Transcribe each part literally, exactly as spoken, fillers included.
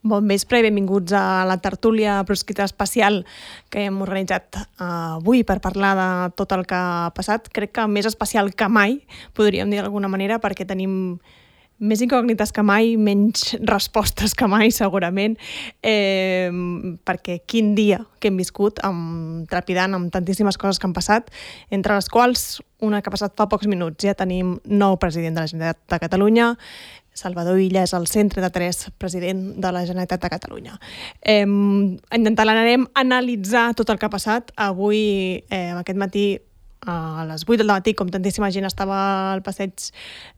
Bon vespre i benvinguts a la tertúlia proscrita especial que hem organitzat avui per parlar de tot el que ha passat. Crec que més especial que mai, podríem dir d'alguna manera, perquè tenim més incògnites que mai, menys respostes que mai, segurament, eh, perquè quin dia que hem viscut, amb, trepidant amb tantíssimes coses que han passat, entre les quals una que ha passat fa pocs minuts. Ja tenim nou president de la Generalitat de Catalunya, Salvador Illa és el cent trenta-tres president de la Generalitat de Catalunya. Eh, intentarem analitzar tot el que ha passat. Avui, eh, aquest matí, a les vuit del matí, com tantíssima gent estava al passeig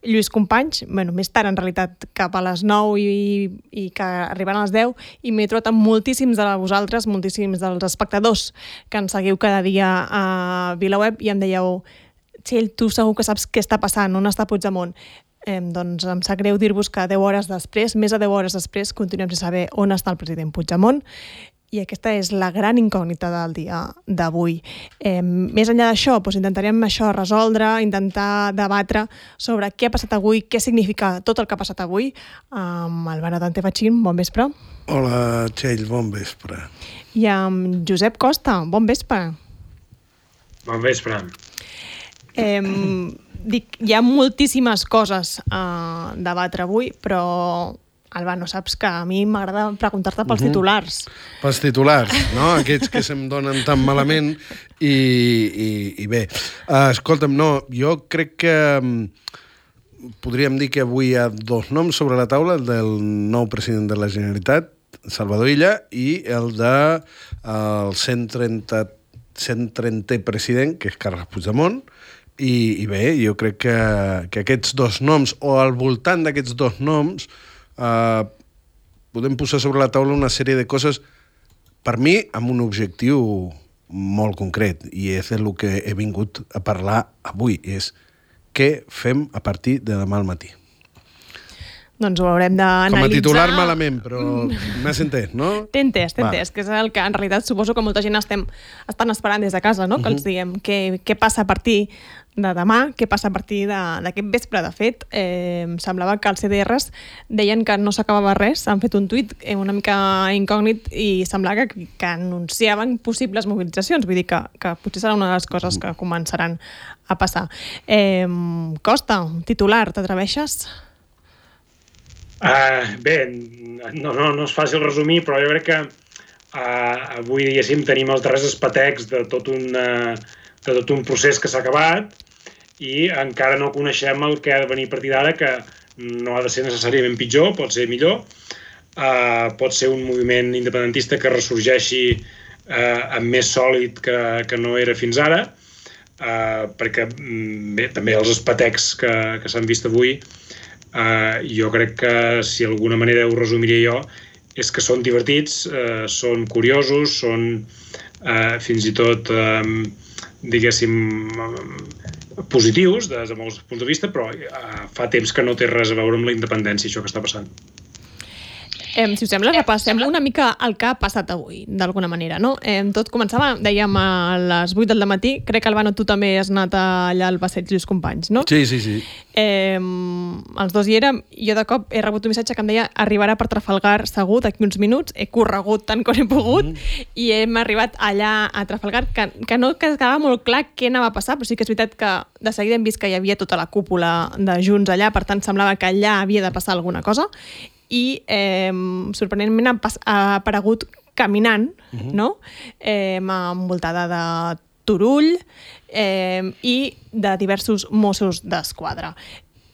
Lluís Companys, bueno, més tard en realitat cap a les nou i, i que arribaran a les deu, i m'he trobat amb moltíssims de vosaltres, moltíssims dels espectadors que ens seguiu cada dia a VilaWeb i em dèieu: Txell, tu segur que saps què està passant, on està Puigdemont? Eh, doncs em sap greu dir-vos que deu hores després, més de deu hores després, continuem sense saber on està el president Puigdemont, i aquesta és la gran incògnita del dia d'avui. Eh, més enllà d'això, doncs intentarem això resoldre, intentar debatre sobre què ha passat avui, què significa tot el que ha passat avui, amb el Dante Fachin. Bon vespre. Hola, Txell, bon vespre. I amb Josep Costa. Bon vespre. Bon vespre. Eh, dic, hi ha moltíssimes coses a debatre avui, però, Alba, no saps que a mi m'agrada preguntar-te pels uh-huh. titulars. Pels titulars, no? Aquests que se'm donen tan malament i, i, i bé. Uh, escolta'm, no, jo crec que um, podríem dir que avui hi ha dos noms sobre la taula, el del nou president de la Generalitat, Salvador Illa, i el de el cent trentè president, que és Carles Puigdemont. I, i bé, jo crec que, que aquests dos noms, o al voltant d'aquests dos noms, eh, podem posar sobre la taula una sèrie de coses, per mi, amb un objectiu molt concret, i és el que he vingut a parlar avui, és què fem a partir de demà al matí. Doncs ho haurem d'analitzar. Com a titular malament, però m'has entès, no? T'he entès, t'he entès, que és el que en realitat suposo que molta gent estem, estan esperant des de casa, no? Que els diguem què, què passa a partir de demà, què passa a partir d'aquest vespre. De fet, eh, semblava que els C D Rs deien que no s'acabava res, han fet un tuit una mica incògnit i semblava que, que anunciaven possibles mobilitzacions, vull dir que, que potser serà una de les coses que començaran a passar. Eh, Costa, titular, t'atreveixes? Uh, bé, no, no, no és fàcil resumir, però jo crec que uh, avui, diguéssim, tenim els darrers espetecs de tot un, uh, de tot un procés que s'ha acabat i encara no coneixem el que ha de venir a partir d'ara, que no ha de ser necessàriament pitjor, pot ser millor. Uh, pot ser un moviment independentista que ressorgeixi uh, amb més sòlid que, que no era fins ara, uh, perquè bé, també els espetecs que, que s'han vist avui, Uh, jo crec que, si d'alguna manera ho resumiria jo, és que són divertits, uh, són curiosos, són uh, fins i tot, um, diguéssim, um, positius des de molts punts de vista, però uh, fa temps que no té res a veure amb la independència, això que està passant. Eh, si us sembla, repassem una mica el que ha passat avui, d'alguna manera, no? Eh, tot començava, dèiem, a les vuit del matí. Crec que, Albano, tu també has anat allà al passeig Lluís Companys, no? Sí, sí, sí. Eh, els dos hi érem. Jo de cop he rebut un missatge que em deia arribarà per Trafalgar segur d'aquí uns minuts. He corregut tant com he pogut mm. i hem arribat allà a Trafalgar, que, que no quedava molt clar què anava a passar, però sí que és veritat que de seguida hem vist que hi havia tota la cúpula de Junts allà, per tant semblava que allà havia de passar alguna cosa. I eh, sorprenentment ha, ha aparegut caminant, uh-huh. no? eh, envoltada de Turull eh, i de diversos Mossos d'Esquadra.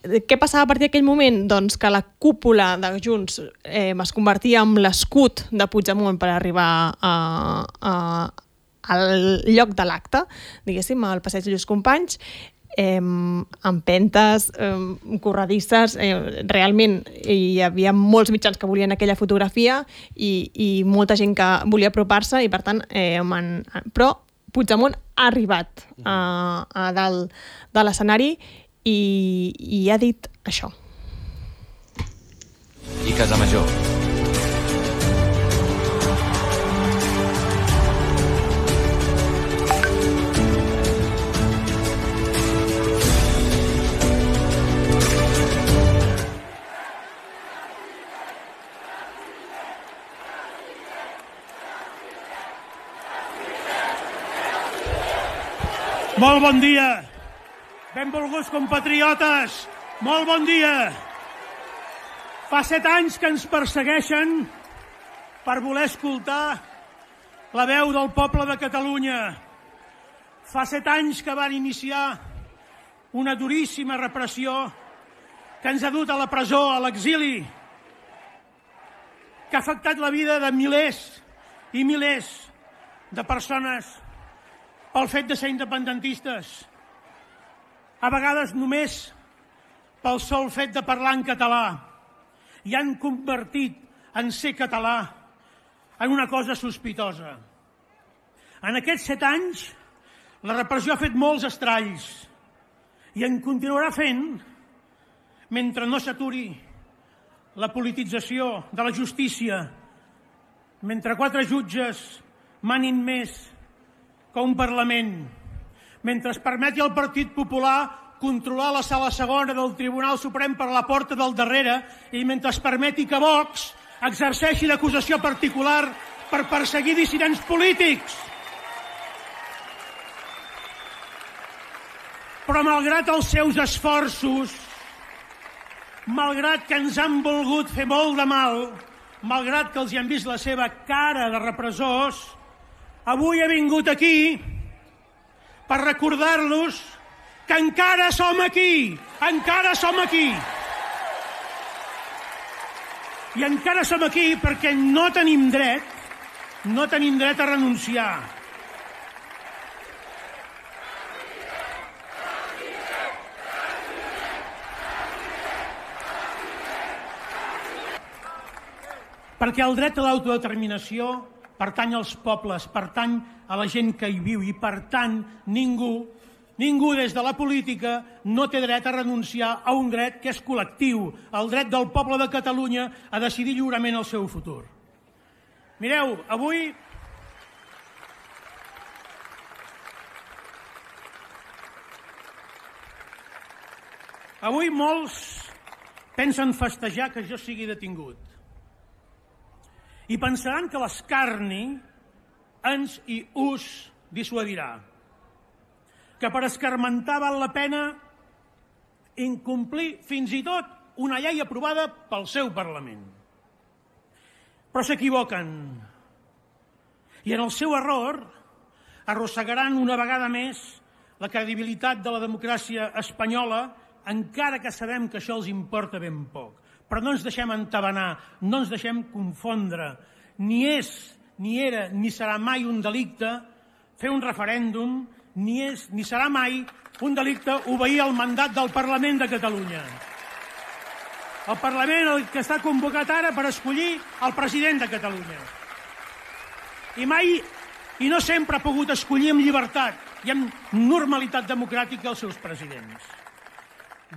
Què passava a partir d'aquell moment? Doncs que la cúpula de Junts eh, es convertia en l'escut de Puigdemont per arribar a, a, al lloc de l'acte, diguéssim, al passeig Lluís Companys, Eh, empentes, eh, corredisses, eh, realment hi havia molts mitjans que volien aquella fotografia i, i molta gent que volia apropar-se i per tant, eh, man... però Puigdemont ha arribat a, a dalt de l'escenari i, i ha dit això. I Casamajor. Molt bon dia. Benvolguts compatriotes, molt bon dia. Fa set anys que ens persegueixen per voler escoltar la veu del poble de Catalunya. Fa set anys que van iniciar una duríssima repressió que ens ha dut a la presó, a l'exili, que ha afectat la vida de milers i milers de persones pel fet de ser independentistes, a vegades només pel sol fet de parlar en català, i han convertit en ser català en una cosa sospitosa. En aquests set anys, la repressió ha fet molts estralls i en continuarà fent mentre no s'aturi la politització de la justícia, mentre quatre jutges manin més que un Parlament, mentre es permeti al Partit Popular controlar la sala segona del Tribunal Suprem per la porta del darrere i mentre es permeti que Vox exerceixi l'acusació particular per perseguir dissidents polítics. Però malgrat els seus esforços, malgrat que ens han volgut fer molt de mal, malgrat que els hi han vist la seva cara de repressors, avui he vingut aquí per recordar-los que encara som aquí, encara som aquí. I encara som aquí perquè no tenim dret, no tenim dret a renunciar. Perquè el dret a l'autodeterminació pertany als pobles, pertany a la gent que hi viu i, per tant, ningú, ningú des de la política no té dret a renunciar a un dret que és col·lectiu, el dret del poble de Catalunya a decidir lliurement el seu futur. Mireu, avui... Avui molts pensen festejar que jo sigui detingut. I pensaran que l'escarni ens i us dissuadirà. Que per escarmentar val la pena incomplir fins i tot una llei aprovada pel seu Parlament. Però s'equivoquen. I en el seu error arrossegaran una vegada més la credibilitat de la democràcia espanyola, encara que sabem que això els importa ben poc. Però no ens deixem entabanar, no ens deixem confondre. Ni és, ni era, ni serà mai un delicte fer un referèndum, ni és, ni serà mai un delicte obeir el mandat del Parlament de Catalunya. El Parlament el que està convocat ara per escollir el president de Catalunya. I mai, i no sempre ha pogut escollir amb llibertat i amb normalitat democràtica els seus presidents.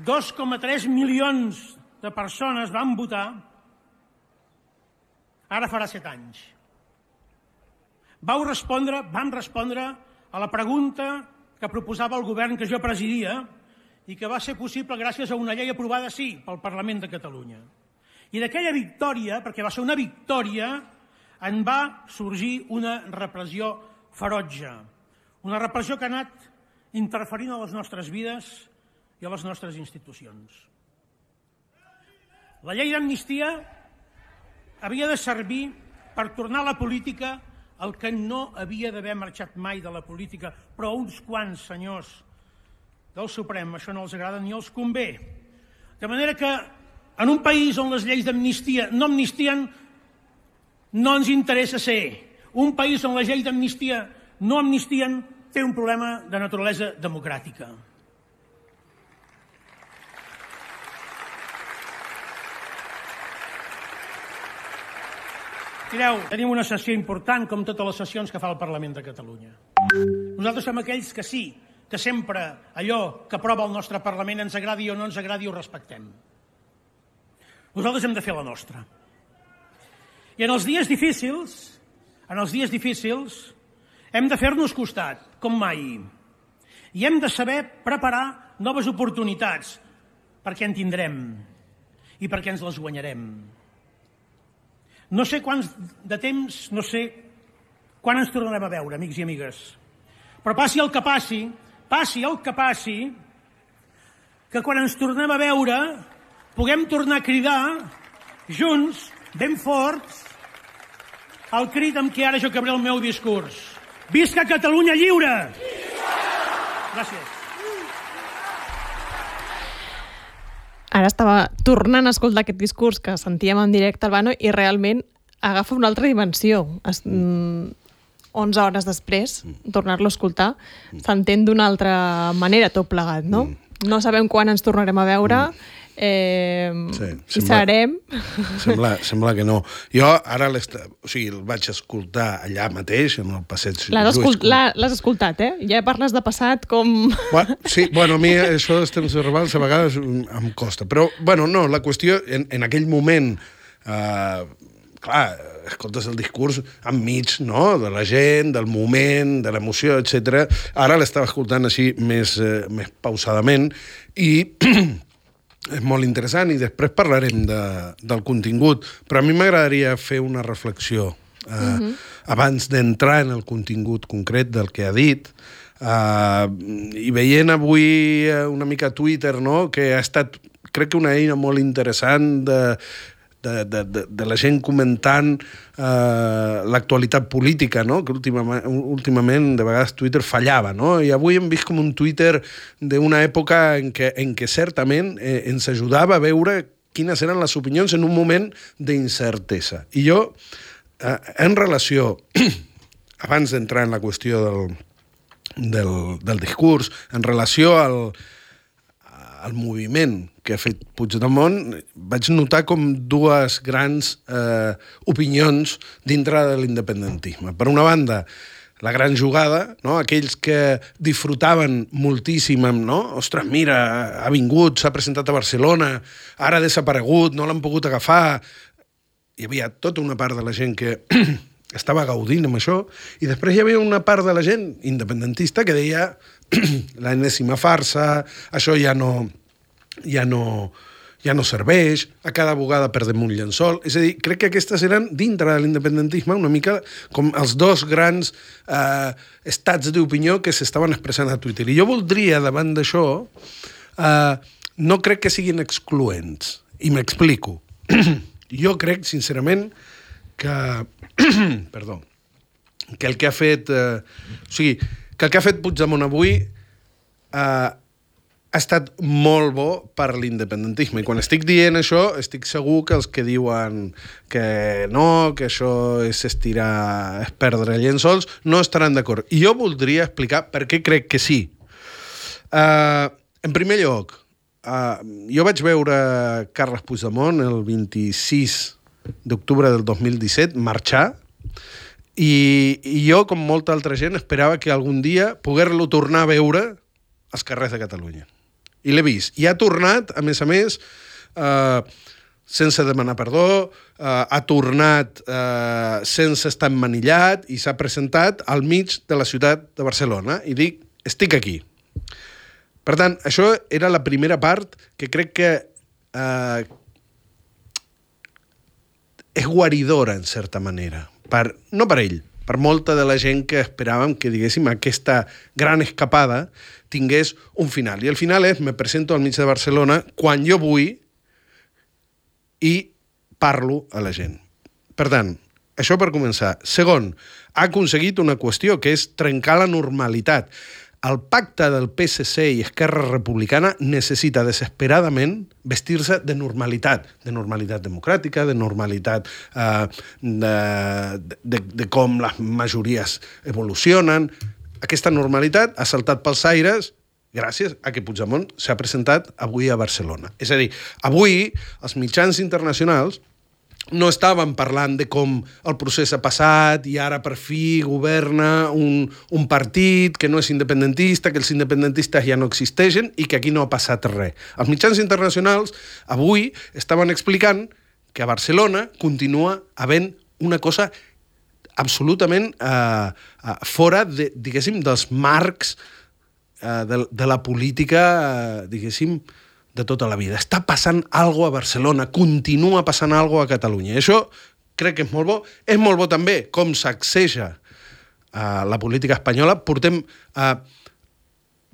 dos coma tres milions de persones van votar, ara farà set anys. Vau respondre, vam respondre a la pregunta que proposava el govern que jo presidia i que va ser possible gràcies a una llei aprovada, sí, pel Parlament de Catalunya. I d'aquella victòria, perquè va ser una victòria, en va sorgir una repressió ferotge. Una repressió que ha anat interferint a les nostres vides i a les nostres institucions. La llei d'amnistia havia de servir per tornar a la política el que no havia d'haver marxat mai de la política, però a uns quants senyors del Suprem això no els agrada ni els convé. De manera que en un país on les lleis d'amnistia no amnistien, no ens interessa ser. Un país on les lleis d'amnistia no amnistien té un problema de naturalesa democràtica. Mireu, tenim una sessió important, com totes les sessions que fa el Parlament de Catalunya. Nosaltres som aquells que sí, que sempre allò que aprova el nostre Parlament ens agradi o no ens agradi ho respectem. Nosaltres hem de fer la nostra. I en els dies difícils, en els dies difícils, hem de fer-nos costat, com mai. I hem de saber preparar noves oportunitats, perquè en tindrem i perquè ens les guanyarem. No sé quants de temps, no sé quan ens tornarem a veure, amics i amigues. Però passi el que passi, passi el que passi, que quan ens tornem a veure puguem tornar a cridar junts, ben forts, el crit amb què ara jo acabaré el meu discurs. Visca Catalunya lliure! Gràcies. Ara estava tornant a escoltar aquest discurs que sentíem en directe, Albano, i realment agafa una altra dimensió. Es, mm, onze hores després, tornar-lo a escoltar, s'entén d'una altra manera tot plegat, no? No sabem quan ens tornarem a veure, eh, sí, i sembla, serem... Sembla, sembla que no. Jo ara o sigui, el vaig escoltar allà mateix, en el passeig. L'has escolt, escoltat, eh? Ja parles de passat com... Bueno, sí, bueno, a mi això dels temps verbals a vegades em costa. Però, bueno, no, la qüestió, en, en aquell moment, eh, clar, escoltes el discurs enmig, no?, de la gent, del moment, de l'emoció, etcètera. Ara l'estava escoltant així més, eh, més pausadament i... és molt interessant i després parlarem de, del contingut, però a mi m'agradaria fer una reflexió eh, uh-huh. abans d'entrar en el contingut concret del que ha dit, eh, i veient avui una mica Twitter, no?, que ha estat, crec que una eina molt interessant de, de, de, de, de la gent comentant eh, l'actualitat política, no?, que últimament, últimament de vegades Twitter fallava, no?, i avui hem vist com un Twitter d'una època en què, en què certament eh, ens ajudava a veure quines eren les opinions en un moment d'incertesa. I jo, eh, en relació, abans d'entrar en la qüestió del, del, del discurs, en relació al el moviment que ha fet Puigdemont, vaig notar com dues grans eh, opinions dintre de l'independentisme. Per una banda, la gran jugada, no?, aquells que disfrutaven moltíssim, no?, ostres, mira, ha vingut, s'ha presentat a Barcelona, ara ha desaparegut, no l'han pogut agafar. Hi havia tota una part de la gent que estava gaudint amb això, i després hi havia una part de la gent independentista que deia l'enèsima farsa, això ja no, ja no, ja no serveix, a cada bugada perdem un llençol. És a dir, crec que aquestes eren, dintre de l'independentisme, una mica com els dos grans eh, estats d'opinió que s'estaven expressant a Twitter. I jo voldria, davant d'això, eh, no crec que siguin excloents. I m'explico. Jo crec, sincerament, que... perdó. Que el que ha fet... Eh, o sigui, que el que ha fet Puigdemont avui eh, ha estat molt bo per l'independentisme. I quan estic dient això, estic segur que els que diuen que no, que això és estirar, és perdre llençols, no estaran d'acord. I jo voldria explicar per què crec que sí. Eh, en primer lloc, eh, jo vaig veure Carles Puigdemont el vint-i-sis d'octubre del dos mil disset marxar, I, i jo, com molta altra gent, esperava que algun dia poder-lo tornar a veure als carrers de Catalunya. I l'he vist. I ha tornat, a més a més, eh, sense demanar perdó, eh, ha tornat eh, sense estar emmanillat i s'ha presentat al mig de la ciutat de Barcelona. I dic, estic aquí. Per tant, això era la primera part que crec que eh, és guaridora, en certa manera. Per, no per ell, per molta de la gent que esperàvem que, diguéssim, aquesta gran escapada tingués un final. I el final és, me presento al mig de Barcelona quan jo vull i parlo a la gent. Per tant, això per començar. Segon, ha aconseguit una qüestió, que és trencar la normalitat. El pacte del P S C i Esquerra Republicana necessita desesperadament vestir-se de normalitat, de normalitat democràtica, de normalitat eh, de, de, de com les majories evolucionen. Aquesta normalitat ha saltat pels aires gràcies a que Puigdemont s'ha presentat avui a Barcelona. És a dir, avui els mitjans internacionals no estaven parlant de com el procés ha passat i ara per fi governa un, un partit que no és independentista, que els independentistes ja no existeixen i que aquí no ha passat res. Els mitjans internacionals avui estaven explicant que a Barcelona continua havent una cosa absolutament eh, eh, fora, de, diguéssim, dels marcs eh, de, de la política, eh, diguéssim, de tota la vida. Està passant alguna cosa a Barcelona, continua passant alguna cosa a Catalunya. I això crec que és molt bo. És molt bo també com sacseja uh, la política espanyola. Portem uh,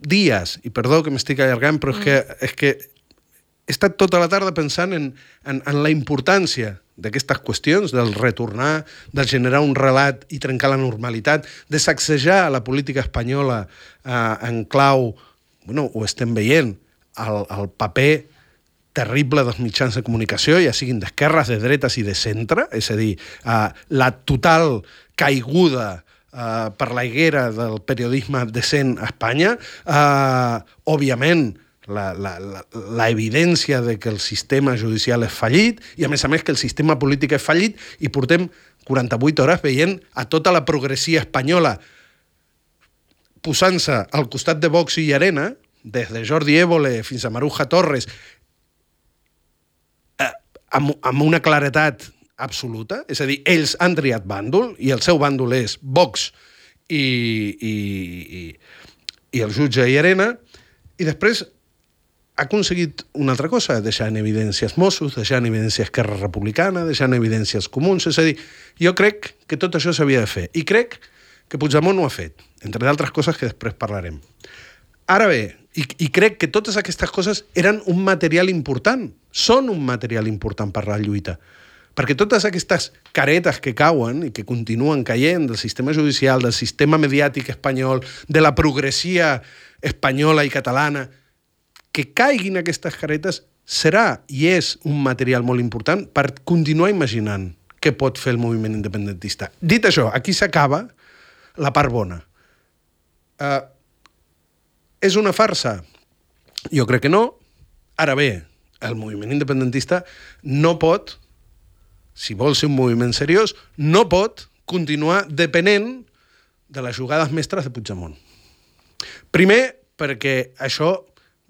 dies, i perdó que m'estic allargant, però és que, és que he estat tota la tarda pensant en, en, en la importància d'aquestes qüestions, del retornar, de generar un relat i trencar la normalitat, de sacsejar la política espanyola eh, en clau, bueno, ho estem veient, el, el paper terrible dels mitjans de comunicació, ja siguin d'esquerres, de dretes i de centre, és a dir, eh, la total caiguda eh, per la higuera del periodisme decent a Espanya, eh, òbviament, la, la, la, la evidència de que el sistema judicial és fallit i, a més a més, que el sistema polític és fallit i portem quaranta-vuit hores veient a tota la progressia espanyola posant-se al costat de Vox i Llarena, des de Jordi Évole fins a Maruja Torres, eh, amb, amb una claretat absoluta, és a dir, ells han triat bàndol i el seu bàndol és Vox i, i, i, i el jutge Llarena, i després ha aconseguit una altra cosa, deixar en evidència els Mossos, deixar en evidència Esquerra Republicana, deixar en evidència els comuns, és a dir, jo crec que tot això s'havia de fer, i crec que Puigdemont ho ha fet, entre d'altres coses que després parlarem. Ara bé, i, i crec que totes aquestes coses eren un material important, són un material important per la lluita, perquè totes aquestes caretes que cauen i que continuen caient del sistema judicial, del sistema mediàtic espanyol, de la progressia espanyola i catalana, que caiguin aquestes caretes serà i és un material molt important per continuar imaginant què pot fer el moviment independentista. Dit això, aquí s'acaba la part bona. Uh, és una farsa? Jo crec que no. Ara bé, el moviment independentista no pot, si vol ser un moviment seriós, no pot continuar depenent de les jugades mestres de Puigdemont. Primer, perquè això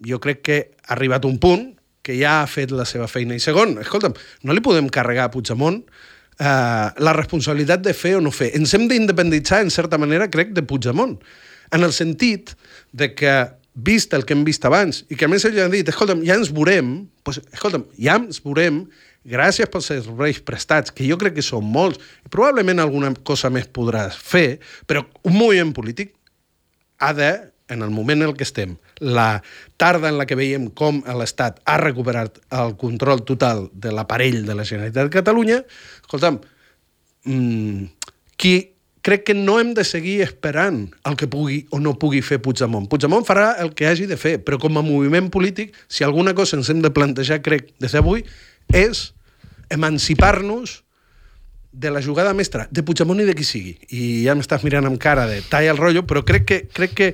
jo crec que ha arribat un punt que ja ha fet la seva feina. I segon, escolta'm, no li podem carregar a Puigdemont eh, la responsabilitat de fer o no fer. Ens hem d'independitzar, en certa manera, crec, de Puigdemont. En el sentit de que, vist el que hem vist abans, i que a més ell ha dit, escolta'm, ja ens veurem, doncs, escolta'm, ja ens veurem, gràcies pels serveis prestats, que jo crec que són molts, i probablement alguna cosa més podràs fer, però un moviment polític ha de, en el moment en què estem, la tarda en la que veiem com l'Estat ha recuperat el control total de l'aparell de la Generalitat de Catalunya, escolta'm, mmm, qui crec que no hem de seguir esperant el que pugui o no pugui fer Puigdemont. Puigdemont farà el que hagi de fer, però com a moviment polític, si alguna cosa ens hem de plantejar, crec, des d'avui, és emancipar-nos de la jugada mestra, de Puigdemont i de qui sigui. I ja m'estàs mirant amb cara de talla el rotllo, però crec que, crec que,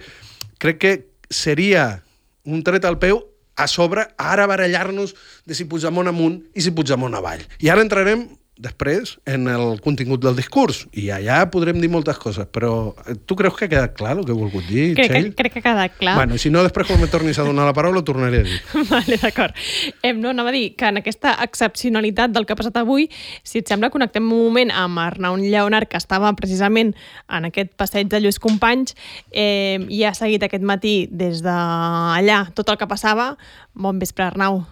crec que seria un tret al peu a sobre ara barallar-nos de si Puigdemont amunt i si Puigdemont avall. I ara entrarem després en el contingut del discurs, i allà podrem dir moltes coses, però tu creus que ha quedat clar el que he volgut dir, crec Txell? Que, crec que ha quedat clar. Bueno, si no, després quan me tornis a donar la paraula, ho tornaré a dir. Vale, d'acord. Eh, no, anava a dir que en aquesta excepcionalitat del que ha passat avui, si et sembla, connectem un moment amb Arnau Lleonart, que estava precisament en aquest passeig de Lluís Companys, eh, i ha seguit aquest matí des d'allà tot el que passava. Bon vespre, Arnau.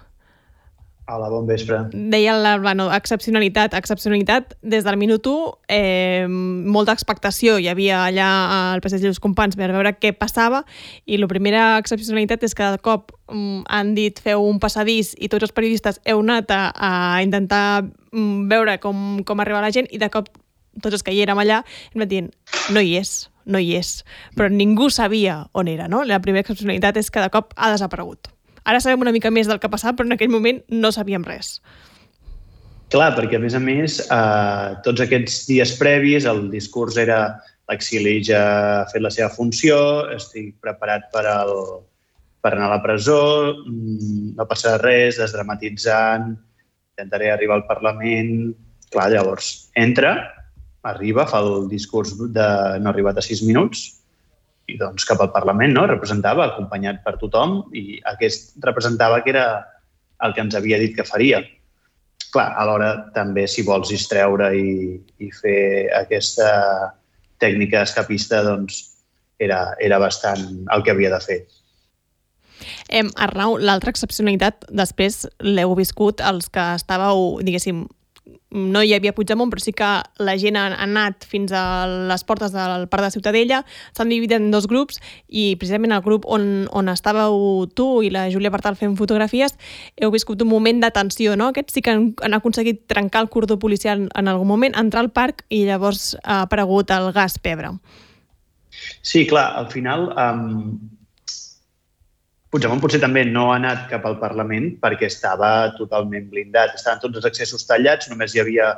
Hola, bon vespre. Deia la bueno, excepcionalitat, excepcionalitat, des del minut u, eh, molta expectació. Hi havia allà al passeig de Lluís Companys per veure què passava, i la primera excepcionalitat és que de cop um, han dit feu un passadís i tots els periodistes heu anat a, a intentar um, veure com, com arriba la gent, i de cop tots els que hi érem allà hem anat dient no hi és, no hi és. Però ningú sabia on era, no? La primera excepcionalitat és que de cop ha desaparegut. Ara sabem una mica més del que ha passat, però en aquell moment no sabíem res. Clar, perquè a més a més, eh, tots aquests dies previs, el discurs era l'exili ja ha fet la seva funció, estic preparat per, el, per anar a la presó, no passarà res, desdramatitzant, intentaré arribar al Parlament. Clar, llavors, entra, arriba, fa el discurs de no ha arribat a sis minuts, i doncs cap al Parlament, no? Representava, acompanyat per tothom, i aquest representava que era el que ens havia dit que faria. Clar, alhora també, si vols distreure i, i fer aquesta tècnica escapista, doncs era, era bastant el que havia de fer. Eh, Arnau, l'altra excepcionalitat, després l'heu viscut els que estàveu, diguéssim, no hi havia Puigdemont, però sí que la gent ha anat fins a les portes del Parc de Ciutadella, s'han dividit en dos grups i precisament el grup on, on estàveu tu i la Júlia Bartal fent fotografies heu viscut un moment de tensió, no? Aquests sí que han, han aconseguit trencar el cordó policial en algun moment, entrar al parc i llavors ha aparegut el gas pebre. Sí, clar, al final um, Puigdemont potser també no ha anat cap al Parlament perquè estava totalment blindat. Estaven tots els accessos tallats, només hi havia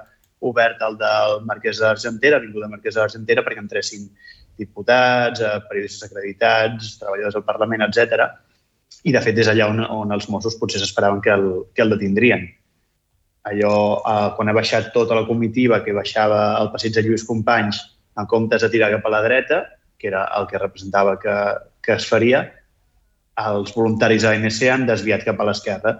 obert el del Marquès d'Argentera, Avinguda Marquès d'Argentera, perquè entressin diputats, periodistes acreditats, treballadors del Parlament, etcètera. I, de fet, és allà on, on els Mossos potser s'esperaven que, el, que el detindrien. Allò, eh, quan ha baixat tota la comitiva que baixava al passeig de Lluís Companys en comptes de tirar cap a la dreta, que era el que representava que, que es faria, els voluntaris de l'A N C han desviat cap a l'esquerra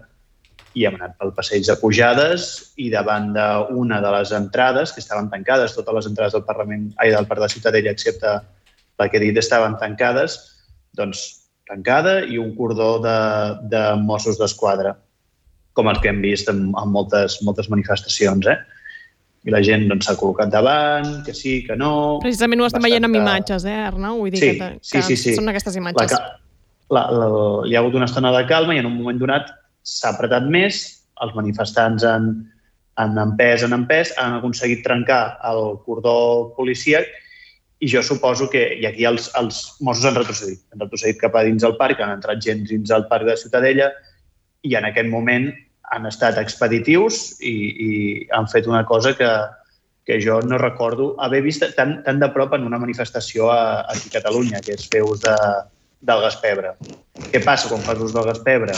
i hem anat pel passeig de Pujades i davant d'una de les entrades, que estaven tancades, totes les entrades del Parlament, ai, del Parc de Ciutadella, excepte la que he dit, estaven tancades, doncs tancada i un cordó de, de Mossos d'Esquadra, com els que hem vist en, en moltes, moltes manifestacions, eh? I la gent doncs, s'ha col·locat davant, que sí, que no... Precisament ho estem veient amb imatges, eh, Arnau? Vull dir sí, que, sí, que sí, sí. són aquestes imatges. La, la, la, hi ha hagut una estona de calma i en un moment donat s'ha apretat més, els manifestants han, han empès, han empès, han aconseguit trencar el cordó policíac i jo suposo que, i aquí els, els Mossos han retrocedit, han retrocedit cap a dins del parc, han entrat gent dins del parc de Ciutadella i en aquest moment han estat expeditius i, i han fet una cosa que, que jo no recordo haver vist tan, tan de prop en una manifestació a, aquí a Catalunya, que és fer ús de, del gas pebre. Què passa quan fas ús del gas pebre?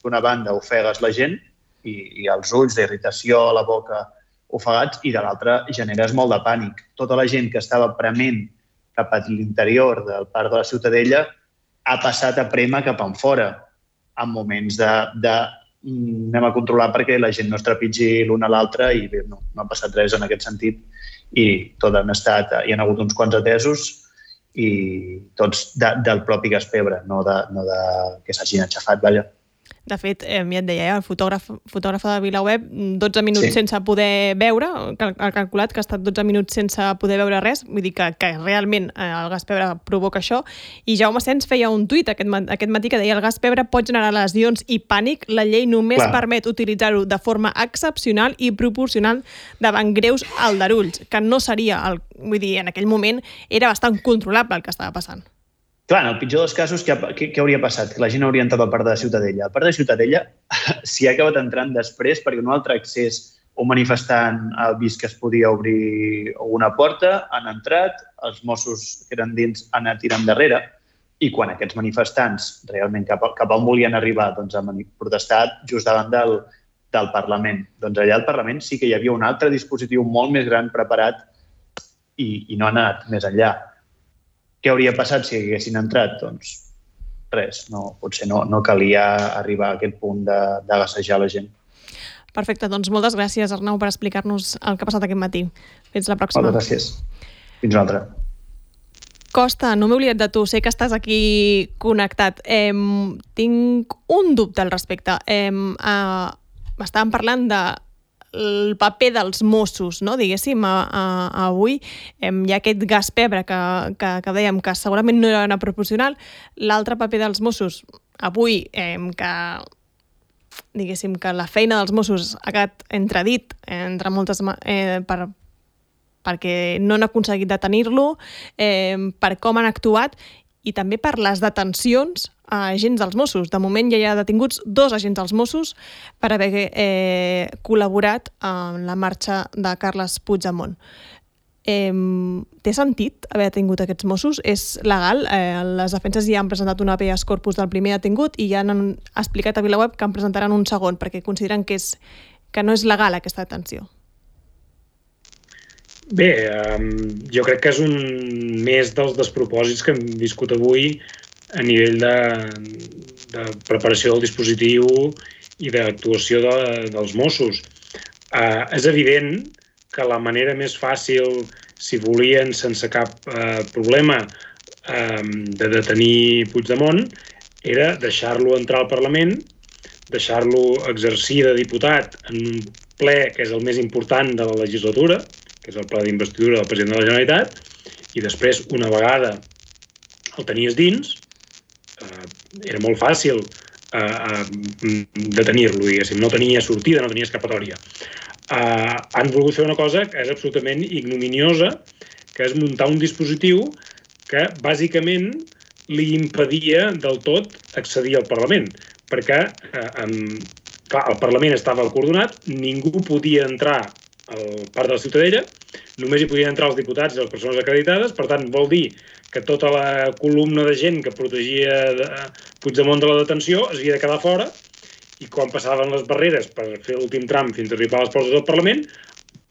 D'una banda ofegues la gent i, i els ulls d'irritació a la boca ofegats i de l'altra generes molt de pànic. Tota la gent que estava prement cap a l'interior del Parc de la Ciutadella ha passat a prémer cap enfora en moments de, de anem a controlar perquè la gent no es trepitgi l'una a l'altra i bé, no, no ha passat res en aquest sentit i tot han estat, hi ha hagut uns quants atesos i tots de, del propi gas pebre, no de, no de que s'hagin aixafat, vaja. De fet, eh, ja et deia, el fotògraf, fotògraf de VilaWeb, dotze minuts sí. sense poder veure, ha calculat que ha estat dotze minuts sense poder veure res, vull dir que, que realment eh, el gas pebre provoca això, i Jaume Sens feia un tuit aquest, aquest matí que deia el gas pebre pot generar lesions i pànic, la llei només Clar. permet utilitzar-ho de forma excepcional i proporcional davant greus aldarulls, que no seria, el, vull dir, en aquell moment era bastant controlable el que estava passant. Clar, en el pitjor dels casos, què, què, què hauria passat? Que la gent hauria entrat al Parc de Ciutadella. El Parc de Ciutadella s'hi ha acabat entrant després perquè un altre accés, un manifestant ha vist que es podia obrir una porta, han entrat, els Mossos que eren dins han anat tirant darrere i quan aquests manifestants realment cap, cap on volien arribar doncs, han protestat just davant del, del Parlament. Doncs allà al Parlament sí que hi havia un altre dispositiu molt més gran preparat i, i no ha anat més enllà. Què hauria passat si haguessin entrat? Doncs res, no, potser no, no calia arribar a aquest punt de, de gassejar la gent. Perfecte, doncs moltes gràcies, Arnau, per explicar-nos el que ha passat aquest matí. Fins la pròxima. Moltes gràcies. Fins una altra. Costa, no m'he oblidat de tu, sé que estàs aquí connectat. Eh, tinc un dubte al respecte. Eh, eh, estàvem parlant de el paper dels Mossos, no? Diguéssim, a, a, a avui eh, hi ha aquest gas pebre que, que, que dèiem que segurament no era proporcional. L'altre paper dels Mossos avui, eh, que diguéssim que la feina dels Mossos ha quedat entredit entre moltes eh, per, perquè no han aconseguit detenir-lo, eh, per com han actuat i també per les detencions a agents dels Mossos. De moment ja hi ha detinguts dos agents dels Mossos per haver eh, col·laborat en la marxa de Carles Puigdemont. Eh, té sentit haver detingut aquests Mossos? És legal? Eh, les defenses ja han presentat un habeas corpus del primer detingut i ja han explicat a VilaWeb que en presentaran un segon perquè consideren que, és, que no és legal aquesta detenció. Bé, um, jo crec que és un més dels despropòsits que hem viscut avui a nivell de, de preparació del dispositiu i d'actuació de, dels Mossos. Uh, és evident que la manera més fàcil, si volien sense cap uh, problema, um, de detenir Puigdemont, era deixar-lo entrar al Parlament, deixar-lo exercir de diputat en un ple, que és el més important de la legislatura, que és el ple d'investidura del president de la Generalitat, i després, una vegada el tenies dins, eh, era molt fàcil eh, eh, detenir-lo, diguéssim. No tenia sortida, no tenia escapatòria. Eh, han volgut fer una cosa que és absolutament ignominiosa, que és muntar un dispositiu que, bàsicament, li impedia del tot accedir al Parlament, perquè eh, eh, clar, el Parlament estava acordonat, ningú podia entrar al Parc de la Ciutadella, només hi podien entrar els diputats i les persones acreditades, per tant, vol dir que tota la columna de gent que protegia Puigdemont de la detenció es havia de quedar fora, i quan passaven les barreres per fer l'últim tram fins a arribar a les portes del Parlament,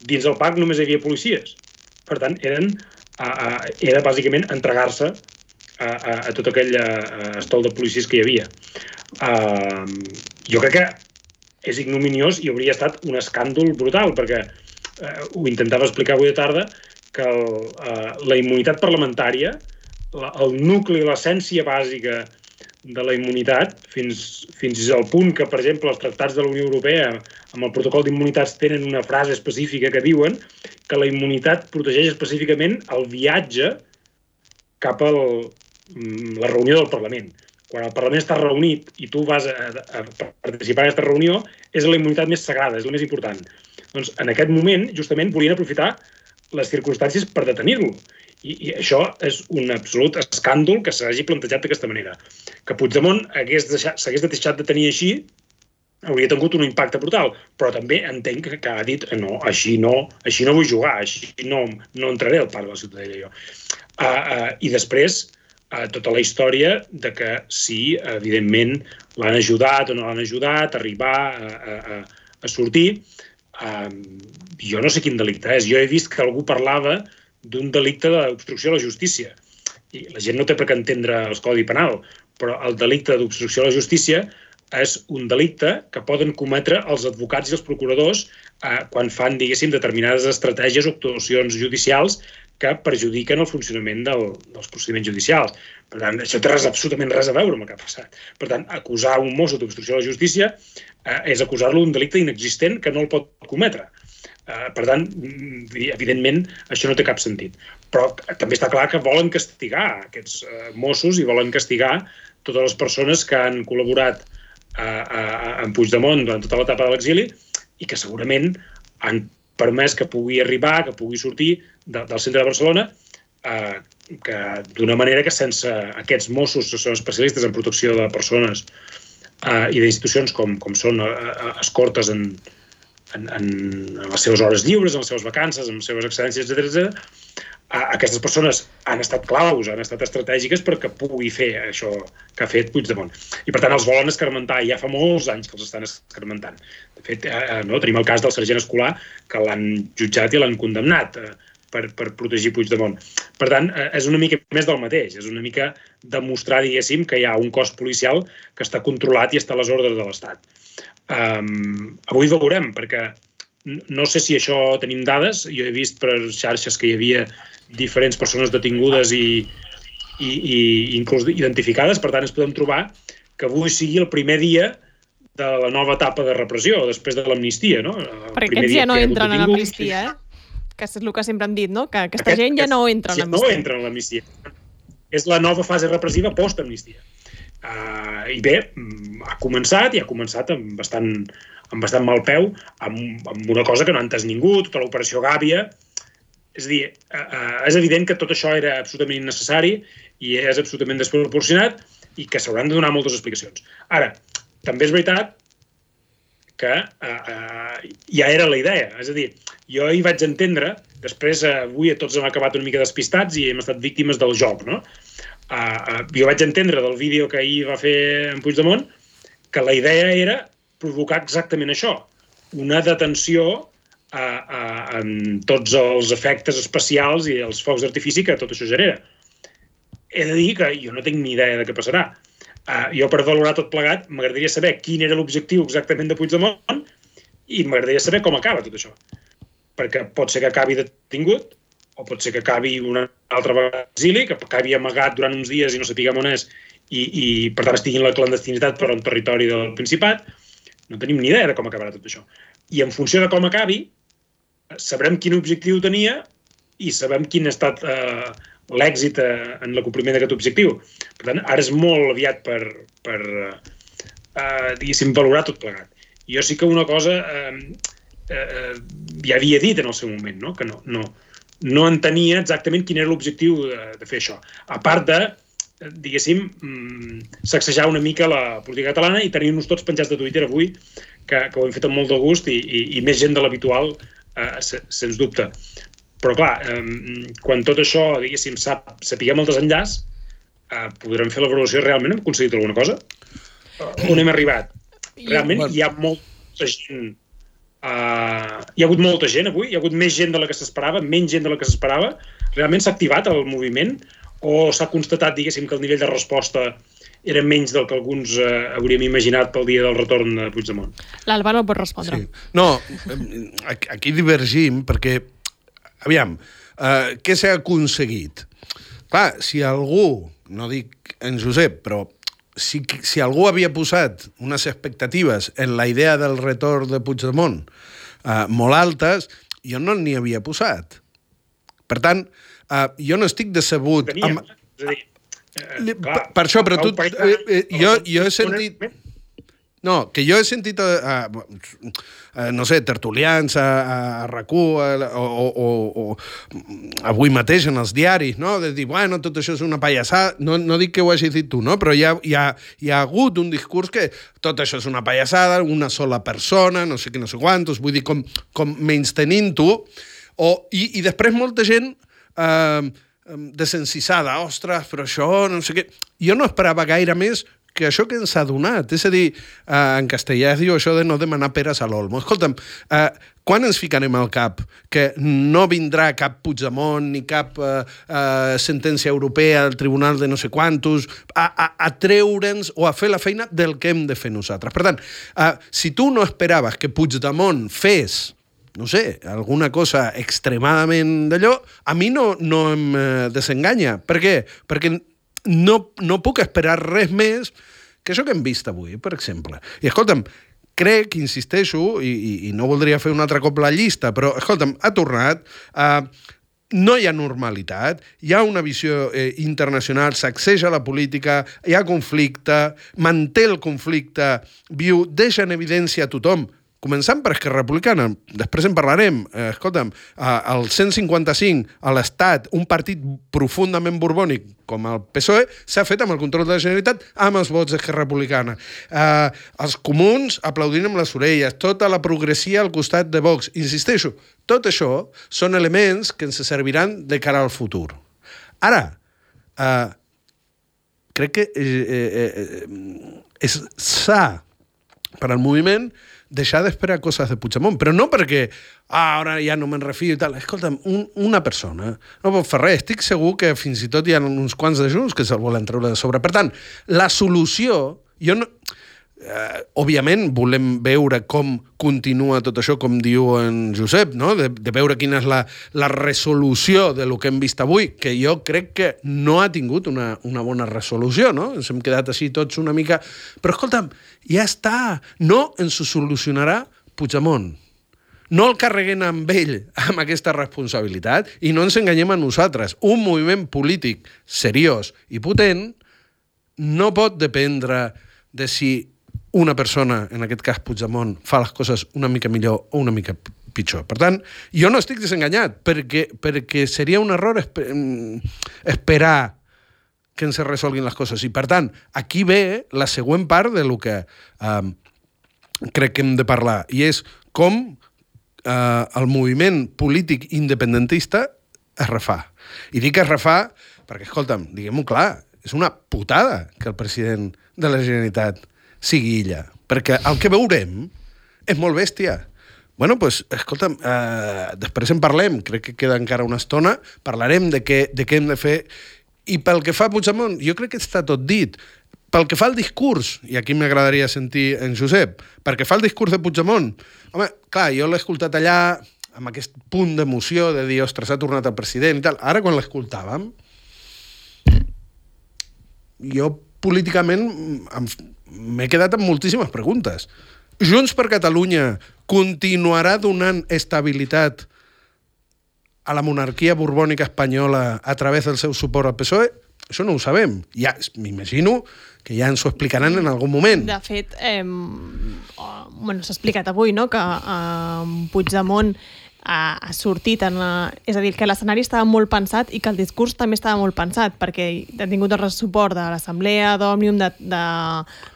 dins del parc només hi havia policies. Per tant, eren, era bàsicament entregar-se a, a, a tot aquell estol de policies que hi havia. Uh, jo crec que és ignominiós i hauria estat un escàndol brutal, perquè eh, ho intentava explicar avui de tarda, que el, eh, la immunitat parlamentària, la, el nucli, l'essència bàsica de la immunitat, fins, fins al punt que, per exemple, els tractats de la Unió Europea amb el protocol d'immunitats tenen una frase específica que diuen que la immunitat protegeix específicament el viatge cap a la reunió del Parlament. Quan el Parlament està reunit i tu vas a, a participar en aquesta reunió, és la immunitat més sagrada, és la més important. Doncs en aquest moment, justament, volien aprofitar les circumstàncies per detenir-lo. I, I això és un absolut escàndol que s'hagi plantejat d'aquesta manera. Que Puigdemont s'hagués deixat de tenir així, hauria tingut un impacte brutal, però també entenc que, que ha dit no, així no, així no vull jugar, així no, no entraré al Parc de la Ciutadella jo. Uh, uh, I després, Uh, tota la història de que si, evidentment, l'han ajudat o no l'han ajudat a arribar a, a, a sortir. Uh, jo no sé quin delicte és. Jo he vist que algú parlava d'un delicte d'obstrucció a la justícia. I la gent no té per què entendre el Codi Penal, però el delicte d'obstrucció a la justícia és un delicte que poden cometre els advocats i els procuradors uh, quan fan, diguéssim, determinades estratègies o actuacions judicials que perjudiquen el funcionament del, dels procediments judicials. Per tant, això té res, absolutament res a veure amb el que ha passat. Per tant, acusar un mosso d'obstrucció a la justícia eh, és acusar-lo d'un delicte inexistent que no el pot cometre. Eh, per tant, evidentment, això no té cap sentit. Però també està clar que volen castigar aquests eh, mossos i volen castigar totes les persones que han col·laborat eh, eh, amb Puigdemont durant tota l'etapa de l'exili i que segurament han permès que pugui arribar, que pugui sortir de, del centre de Barcelona, eh, que d'una manera que sense aquests mossos que són especialistes en protecció de persones eh, i d'institucions com, com són eh, escortes en, en, en les seves hores lliures, en les seves vacances, en les seves excedències, etcètera, etcètera, aquestes persones han estat claus, han estat estratègiques perquè pugui fer això que ha fet Puigdemont. I, per tant, els volen escarmentar. Ja fa molts anys que els estan escarmentant. De fet, eh, no, tenim el cas del sergent Escolà, que l'han jutjat i l'han condemnat eh, per, per protegir Puigdemont. Per tant, eh, és una mica més del mateix. És una mica demostrar, diguéssim, que hi ha un cos policial que està controlat i està a les ordres de l'Estat. Um, avui veurem, perquè no sé si això tenim dades. Jo he vist per xarxes que hi havia diferents persones detingudes i, i, i inclús identificades. Per tant, ens podem trobar que avui sigui el primer dia de la nova etapa de repressió, després de l'amnistia, no? Perquè aquests ja no entren en l'amnistia, eh? Que és el que sempre han dit, no? Que aquesta Aquest, gent ja no entra en l'amnistia. No entra en l'amnistia. És la nova fase repressiva post-amnistia. Uh, I bé, ha començat, i ha començat amb bastant, amb bastant mal peu, amb, amb una cosa que no ha entès ningú, tota l'operació Gàbia. És a dir, uh, és evident que tot això era absolutament innecessari i és absolutament desproporcionat i que s'hauran de donar moltes explicacions. Ara, també és veritat que uh, uh, ja era la idea. És a dir, jo hi vaig entendre, després uh, avui tots hem acabat una mica despistats i hem estat víctimes del joc, no? Uh, uh, jo vaig entendre del vídeo que ahir va fer en Puigdemont que la idea era provocar exactament això, una detenció uh, uh, amb tots els efectes especials i els focs d'artifici que tot això genera. He de dir que jo no tinc ni idea de què passarà. Uh, jo, per valorar tot plegat, m'agradaria saber quin era l'objectiu exactament de Puigdemont i m'agradaria saber com acaba tot això. Perquè pot ser que acabi detingut, o pot ser que acabi una altra vegada a l'exili, que acabi amagat durant uns dies i no sapiguem on és, i, i per tant estigui en la clandestinitat per un territori del Principat. No tenim ni idea de com acabarà tot això. i en funció de com acabi, sabrem quin objectiu tenia i sabem quin ha estat eh, l'èxit eh, en l'acompliment d'aquest objectiu. Per tant, ara és molt aviat per, per eh, diguéssim, valorar tot plegat. Jo sí que una cosa eh, eh, ja havia dit en el seu moment, no? Que no, no, no entenia exactament quin era l'objectiu de, de fer això. A part de, diguéssim, sacsejar una mica la política catalana i tenir-nos tots penjats de Twitter avui, que, que ho hem fet amb molt de gust i, i, i més gent de l'habitual, eh, sens dubte. Però, clar, eh, quan tot això, diguéssim, sap, sapiguem el desenllaç, eh, podrem fer la valoració. Realment hem aconseguit alguna cosa? Uh, on hem arribat? Realment hi ha molta gent... Uh, hi ha hagut molta gent avui? Hi ha hagut més gent de la que s'esperava? Menys gent de la que s'esperava? Realment s'ha activat el moviment? O s'ha constatat, diguéssim, que el nivell de resposta era menys del que alguns eh, hauríem imaginat pel dia del retorn de Puigdemont? L'Alba no pot respondre. Sí. No, aquí divergim perquè aviam, uh, què s'ha aconseguit? Clar, si algú, no dic en Josep, però si, si algú havia posat unes expectatives en la idea del retorn de Puigdemont uh, molt altes, jo no n'hi havia posat. Per tant, uh, jo no estic decebut... Teníem, amb... és a dir, eh, clar, per, per això, però tu... Eh, eh, jo, jo he sentit... No, que jo he sentit, a, a, a, no sé, tertulians a, a RAC u o, o, o avui mateix en els diaris, no? De dir, bueno, tot això és una pallassada. No, no dic que ho hagis dit tu, no? Però hi ha, hi, ha, hi ha hagut un discurs que tot això és una pallassada, una sola persona, no sé què, no sé quantos, vull dir, com, com menys tenint-ho. O, i, I després molta gent... Eh, desencisada, ostres, però això, no sé què... Jo no esperava gaire més que això que ens ha donat. És a dir, eh, en castellà es diu això de no demanar peres a l'olmo. Escolta'm, eh, quan ens ficarem al cap que no vindrà cap Puigdemont ni cap eh, eh, sentència europea al tribunal de no sé quantos a, a, a treure'ns o a fer la feina del que hem de fer nosaltres? Per tant, eh, si tu no esperaves que Puigdemont fes no sé, alguna cosa extremadament d'allò, a mi no, no em eh, desenganya. Per què? Perquè no, no puc esperar res més que això que hem vist avui, per exemple. I, escolta'm, crec, insisteixo, i, i, i no voldria fer un altre cop la llista, però, escolta'm, ha tornat... Eh, no hi ha normalitat, hi ha una visió eh, internacional, sacseja la política, hi ha conflicte, manté el conflicte viu, deixa en evidència a tothom, començant per Esquerra Republicana, després en parlarem, eh, escolta'm, eh, el cent cinquanta-cinc a l'Estat, un partit profundament borbònic com el P S O E, s'ha fet amb el control de la Generalitat amb els vots d'Esquerra Republicana. Eh, els comuns aplaudint amb les orelles, tota la progressia al costat de Vox. Insisteixo, tot això són elements que ens serviran de cara al futur. Ara, eh, crec que eh, eh, és sa per al moviment deixar d'esperar coses de Puigdemont, però no perquè ah, ara ja no me'n refio i tal. Escolta'm, un, una persona no pot fer res. Estic segur que fins i tot hi ha uns quants de Junts que se'l volen treure de sobre. Per tant, la solució... Jo no... Eh, òbviament volem veure com continua tot això, com diu en Josep, no? de, de veure quina és la, la resolució de lo que hem vist avui, que jo crec que no ha tingut una, una bona resolució, no? Ens hem quedat així tots una mica... Però escolta'm, ja està, no ens ho solucionarà Puigdemont. No el carreguem amb ell, amb aquesta responsabilitat, i no ens enganyem a nosaltres. Un moviment polític seriós i potent no pot dependre de si una persona, en aquest cas Puigdemont, fa les coses una mica millor o una mica pitjor. Per tant, jo no estic desenganyat, perquè, perquè seria un error esper esperar que ens resolguin les coses. I, per tant, aquí ve la següent part de lo que eh, crec que hem de parlar, i és com eh, el moviment polític independentista es refà. I dic es refà perquè, escolta'm, diguem-ho clar, és una putada que el president de la Generalitat sigui illa, perquè el que veurem és molt bèstia. Bueno, doncs, escolta'm, eh, després en parlem, crec que queda encara una estona, parlarem de què, de què hem de fer, i pel que fa a Puigdemont, jo crec que està tot dit. Pel que fa al discurs, i aquí m'agradaria sentir en Josep, pel que fa al discurs de Puigdemont, home, clar, jo l'he escoltat allà amb aquest punt d'emoció de dir, ostres, ha tornat el president i tal. Ara, quan l'escoltàvem, jo políticament m'he quedat amb moltíssimes preguntes. Junts per Catalunya continuarà donant estabilitat a la monarquia borbònica espanyola a través del seu suport al P S O E? Això no ho sabem. Ja, m'imagino que ja ens ho explicaran en algun moment. De fet, eh, bueno, s'ha explicat avui, no?, que eh, Puigdemont ha, ha sortit en la... És a dir, que l'escenari estava molt pensat i que el discurs també estava molt pensat, perquè ha tingut el suport de l'Assemblea, d'Òmnium, de, de,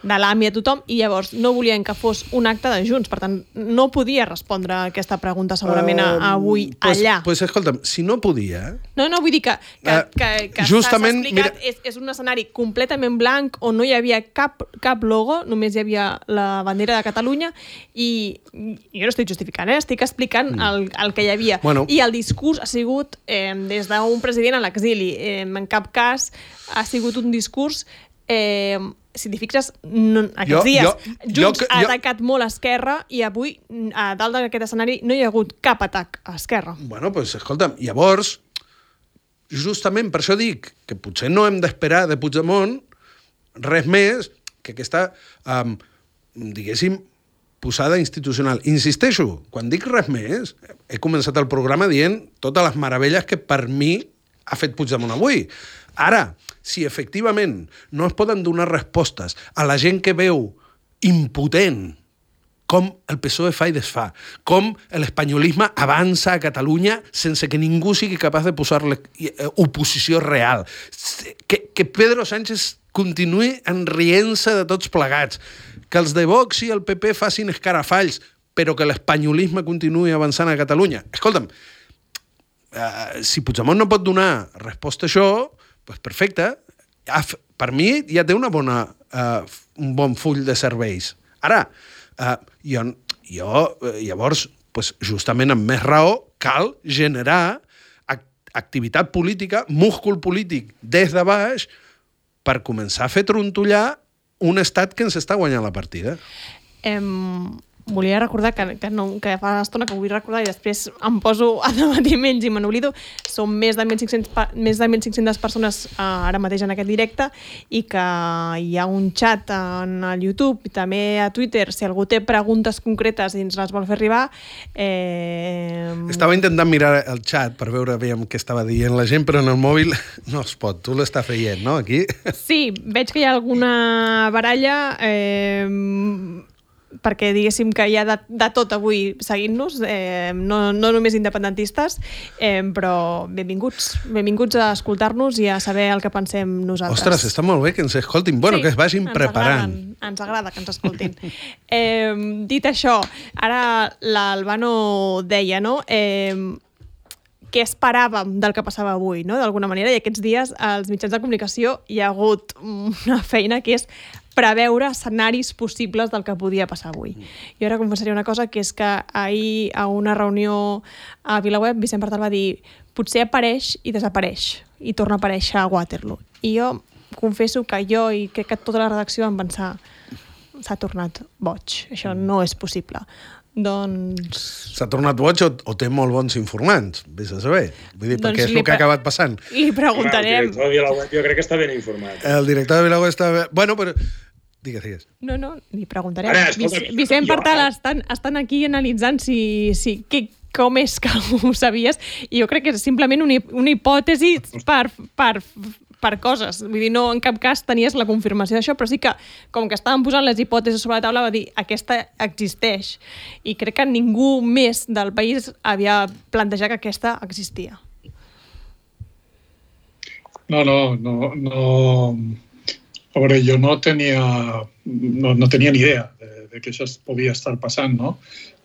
de l'A M I, a tothom, i llavors no volien que fos un acte de Junts. Per tant, no podia respondre aquesta pregunta segurament uh, avui pues, allà. Doncs pues, escolta'm, si no podia... No, no, vull dir que, que, uh, que, que justament, s'ha explicat, mira... és, és un escenari completament blanc on no hi havia cap, cap logo, només hi havia la bandera de Catalunya, i jo no estic justificant, eh? Estic explicant mm. el, el que hi havia. Bueno. I el discurs ha sigut eh, des d'un president a l'exili. Eh, en cap cas ha sigut un discurs... Eh, si t'hi fixes, no, aquests jo, dies, jo, Junts jo, ha atacat jo... molt a Esquerra i avui, a dalt d'aquest escenari, no hi ha hagut cap atac a Esquerra. Bueno, doncs, pues, escolta'm, llavors, justament per això dic que potser no hem d'esperar de Puigdemont res més que aquesta, um, diguéssim, posada institucional. Insisteixo, quan dic res més, he començat el programa dient totes les meravelles que per mi ha fet Puigdemont avui. Ara, si efectivament no es poden donar respostes a la gent que veu impotent com el P S O E fa i desfà, com l'espanyolisme avança a Catalunya sense que ningú sigui capaç de posar-li oposició real, que, que Pedro Sánchez continuï enrient-se de tots plegats, que els de Vox i el P P facin escarafalls, però que l'espanyolisme continuï avançant a Catalunya. Escolta'm, uh, si Puigdemont no pot donar resposta a això, doncs perfecte. Per mi ja té una bona, uh, un bon full de serveis. Ara, uh, jo, jo llavors, pues, justament amb més raó, cal generar activitat política, múscul polític des de baix, per començar a fer trontollar un estat que ens està guanyant la partida. Em... Volia recordar que, que, no, que fa estona que vull recordar i després em poso a debatir menys i me n'oblido. Som més de mil cinc-centes persones uh, ara mateix en aquest directe i que hi ha un xat en el YouTube i també a Twitter. Si algú té preguntes concretes i ens les vol fer arribar... Eh... Estava intentant mirar el xat per veure aviam què estava dient la gent, però en el mòbil no es pot. Tu l'estàs veient, no, aquí? Sí, veig que hi ha alguna baralla... Eh... perquè diguéssim que hi ha de, de tot avui seguint-nos, eh, no, no només independentistes, eh, però benvinguts, benvinguts a escoltar-nos i a saber el que pensem nosaltres. Ostres, està molt bé que ens escoltin, bueno, sí, que es vagin ens preparant. Agraden, ens agrada que ens escoltin. eh, dit això, ara l'Albano deia, no?, eh, què esperàvem del que passava avui, no?, d'alguna manera, i aquests dies als mitjans de comunicació hi ha hagut una feina que és preveure escenaris possibles del que podia passar avui. Jo ara confessaré una cosa, que és que ahir a una reunió a Vilaweb Vicent Partal va dir potser apareix i desapareix i torna a aparèixer a Waterloo. I jo confesso que jo i crec que tota la redacció vam pensar s'ha tornat boig, això no és possible. Doncs... S'ha tornat boig o, o té molt bons informants, vés a saber. Vull dir, doncs perquè és el que ha acabat passant. Li preguntarem... El director de Vilaweb jo crec que està ben informat. El director de Vilaweb està ben... Bueno, però... Digues, digues. No, no, li preguntarem. Ara, escolta, Vicent jo, Partal eh? estan, estan aquí analitzant si, si que, com és que ho sabies, i jo crec que és simplement una, una hipòtesi per... per per coses. Vull dir, no en cap cas tenies la confirmació d'això, però sí que, com que estaven posant les hipòtesis sobre la taula, va dir, aquesta existeix. I crec que ningú més del país havia plantejat que aquesta existia. No, no, no, no... A veure, jo no tenia, no, no tenia ni idea de, de que això podia estar passant, no?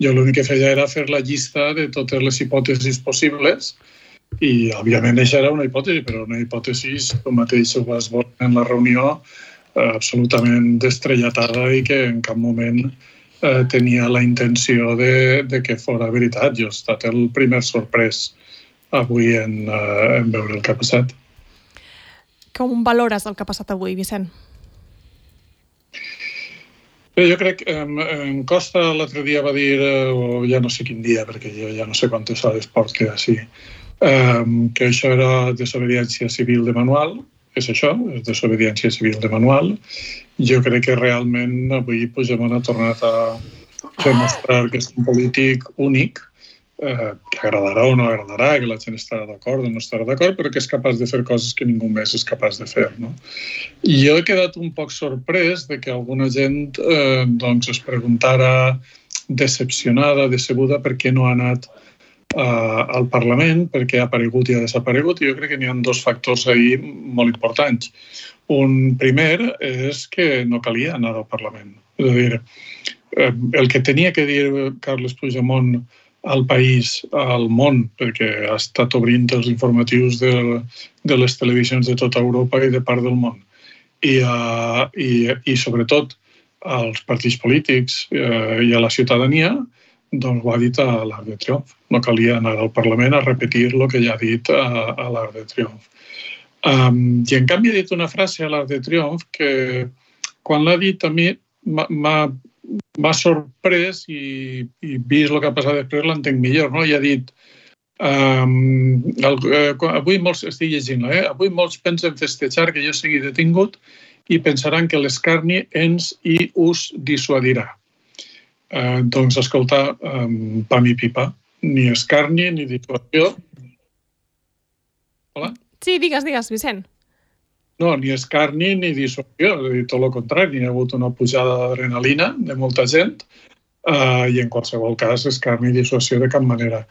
Jo l'únic que feia era fer la llista de totes les hipòtesis possibles. I, òbviament, això era una hipòtesi, però una hipòtesi, com mateix ho vas veure en la reunió, eh, absolutament destrelletada i que en cap moment eh, tenia la intenció de, de que fora veritat. Jo he estat el primer sorprès avui en, eh, en veure el que ha passat. Com valores el que ha passat avui, Vicent? Bé, jo crec que eh, en Costa l'altre dia va dir, eh, o ja no sé quin dia, perquè jo ja no sé quantes hores porto així, Um, que això era desobediència civil de manual, és això, és desobediència civil de manual. Jo crec que realment avui Puigdemont ha tornat a, fer mostrar que és un polític únic, eh, que agradarà o no agradarà, que la gent estarà d'acord o no estarà d'acord, però que és capaç de fer coses que ningú més és capaç de fer, no? I jo he quedat un poc sorprès de que alguna gent eh, doncs es preguntara decepcionada, decebuda, per què no ha anat Uh, al Parlament, perquè ha aparegut i ha desaparegut, i jo crec que n'hi ha dos factors ahí molt importants. Un primer és que no calia anar al Parlament. És a dir, el que tenia que dir Carles Puigdemont al país, al món, perquè ha estat obrint els informatius de, de les televisions de tota Europa i de part del món, i, uh, i, i sobretot als partits polítics uh, i a la ciutadania, doncs ho ha dit a l'Arc de Triomf. No calia anar al Parlament a repetir el que ja ha dit a, a l'Arc de Triomf. Um, I en canvi ha dit una frase a l'Arc de Triomf que quan l'ha dit a mi m'ha sorprès i, i vist el que ha passat després l'entenc millor. No? I ha dit um, el, eh, avui molts, estic llegint-la, eh? avui molts pensen festejar que jo sigui detingut i pensaran que l'escarni ens i us dissuadirà. Uh, doncs, escolta, um, pam i pipa, ni escarni ni dissuasió. Hola? Sí, digues, digues, Vicent. No, ni escarni ni dissuasió, és a dir, tot el contrari, hi ha hagut una pujada d'adrenalina de molta gent uh, i en qualsevol cas escarni i dissuasió de cap manera.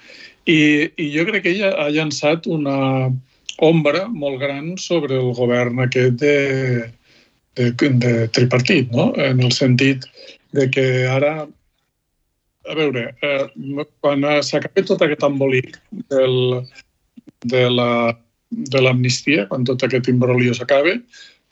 I, i jo crec que ella ha llançat una ombra molt gran sobre el govern aquest de, de, de tripartit, no? En el sentit de que ara, a veure, eh, quan s'acabi tot aquest embolic del, de la de l'amnistia, quan tot aquest imbroglio s'acabe,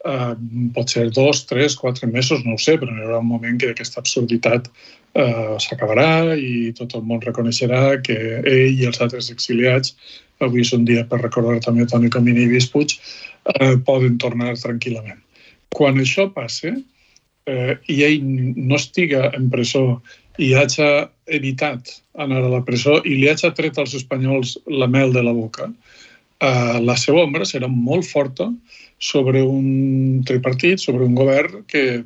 eh, pot ser dos, tres, quatre mesos, no ho sé, però hi haurà un moment que aquesta absurditat eh, s'acabarà i tot el món reconeixerà que ell i els altres exiliats, avui és un dia per recordar també Toni Comín i Lluís Puig, eh, poden tornar tranquil·lament. Quan això passe eh, i ell no estiga en presó i hagi evitat anar a la presó i li hagi tret als espanyols la mel de la boca, Uh, la seva ombra serà molt forta sobre un tripartit, sobre un govern que,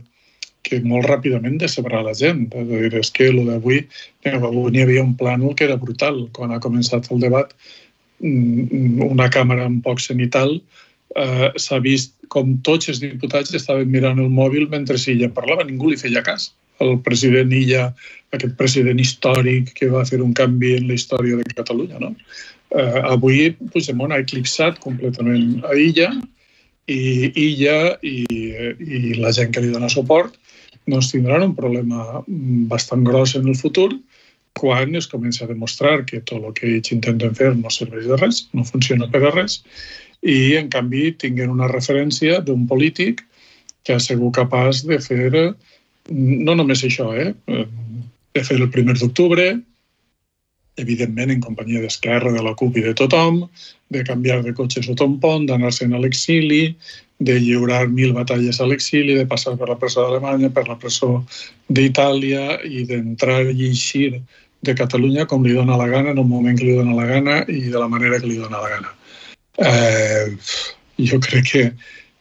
que molt ràpidament decebrà la gent. És, dir, és que el d'avui, avui n'hi havia un plànol que era brutal. Quan ha començat el debat, una càmera un poc cenital, uh, s'ha vist com tots els diputats estaven mirant el mòbil mentre ella parlava, ningú li feia cas. El president Illa, aquest president històric que va fer un canvi en la història de Catalunya, no? Uh, avui Puigdemont ha eclipsat completament a Illa i Illa i, i la gent que li dona suport doncs tindran un problema bastant gros en el futur quan es comença a demostrar que tot el que ells intenten fer no serveix de res, no funciona per a res i en canvi tinguin una referència d'un polític que ha sigut capaç de fer no només això, eh? de fer el primer d'octubre, evidentment en companyia d'Esquerra, de la CUP i de tothom, de canviar de cotxe sota un pont, d'anar-se'n a l'exili, de lliurar mil batalles a l'exili, de passar per la presó d'Alemanya, per la presó d'Itàlia i d'entrar i eixir de Catalunya com li dona la gana, en un moment que li dona la gana i de la manera que li dona la gana. Eh, jo crec que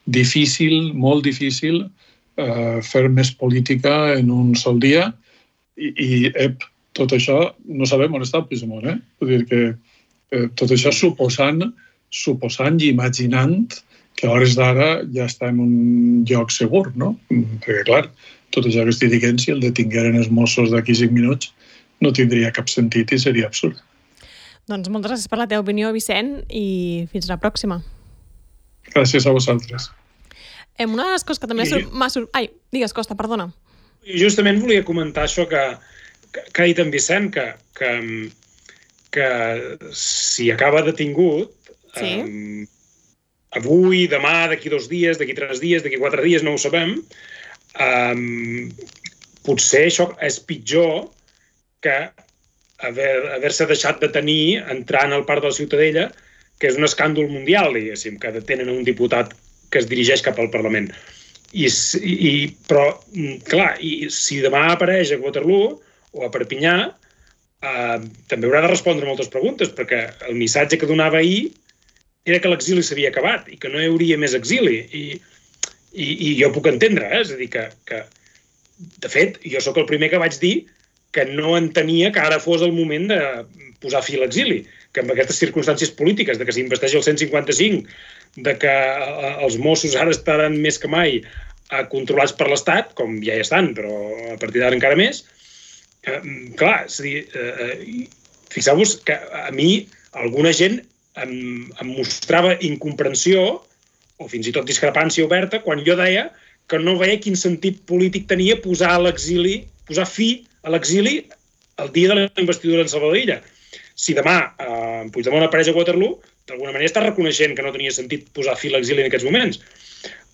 difícil, molt difícil, eh, fer més política en un sol dia i, i ep, tot això no sabem on està Puigdemont, eh? Vull dir que eh, tot això suposant, suposant i imaginant que a hores d'ara ja està en un lloc segur, no? Perquè, clar, tot això que estic dient, si el detingueren els Mossos d'aquí cinc minuts, no tindria cap sentit i seria absurd. Doncs moltes gràcies per la teva opinió, Vicent, i fins la pròxima. Gràcies a vosaltres. Eh, una de les coses que també I... m'ha sor... Ai, digues, Costa, perdona. Justament volia comentar això que que ha dit en Vicent, que, que, que si acaba detingut, sí. um, avui, demà, d'aquí dos dies, d'aquí tres dies, d'aquí quatre dies, no ho sabem, um, potser això és pitjor que haver, haver-se deixat de tenir entrant al Parc de la Ciutadella, que és un escàndol mundial, diguéssim, que detenen un diputat que es dirigeix cap al Parlament. I, i, però, clar, i si demà apareix a Waterloo o a Perpinyà, eh, també haurà de respondre moltes preguntes, perquè el missatge que donava ahir era que l'exili s'havia acabat i que no hi hauria més exili. I, i, i jo puc entendre, eh? És a dir, que, que, de fet, jo sóc el primer que vaig dir que no entenia que ara fos el moment de posar fi a l'exili, que amb aquestes circumstàncies polítiques, de que s'investeixi el cent cinquanta-cinc, de que els Mossos ara estaran més que mai controlats per l'Estat, com ja hi estan, però a partir d'ara encara més, eh, clar, és a dir, eh, fixeu-vos que a mi alguna gent em, em mostrava incomprensió o fins i tot discrepància oberta quan jo deia que no veia quin sentit polític tenia posar a l'exili, posar fi a l'exili el dia de la investidura en Salvador Illa. Si demà eh, Puigdemont apareix a Waterloo, d'alguna manera està reconeixent que no tenia sentit posar fi a l'exili en aquests moments.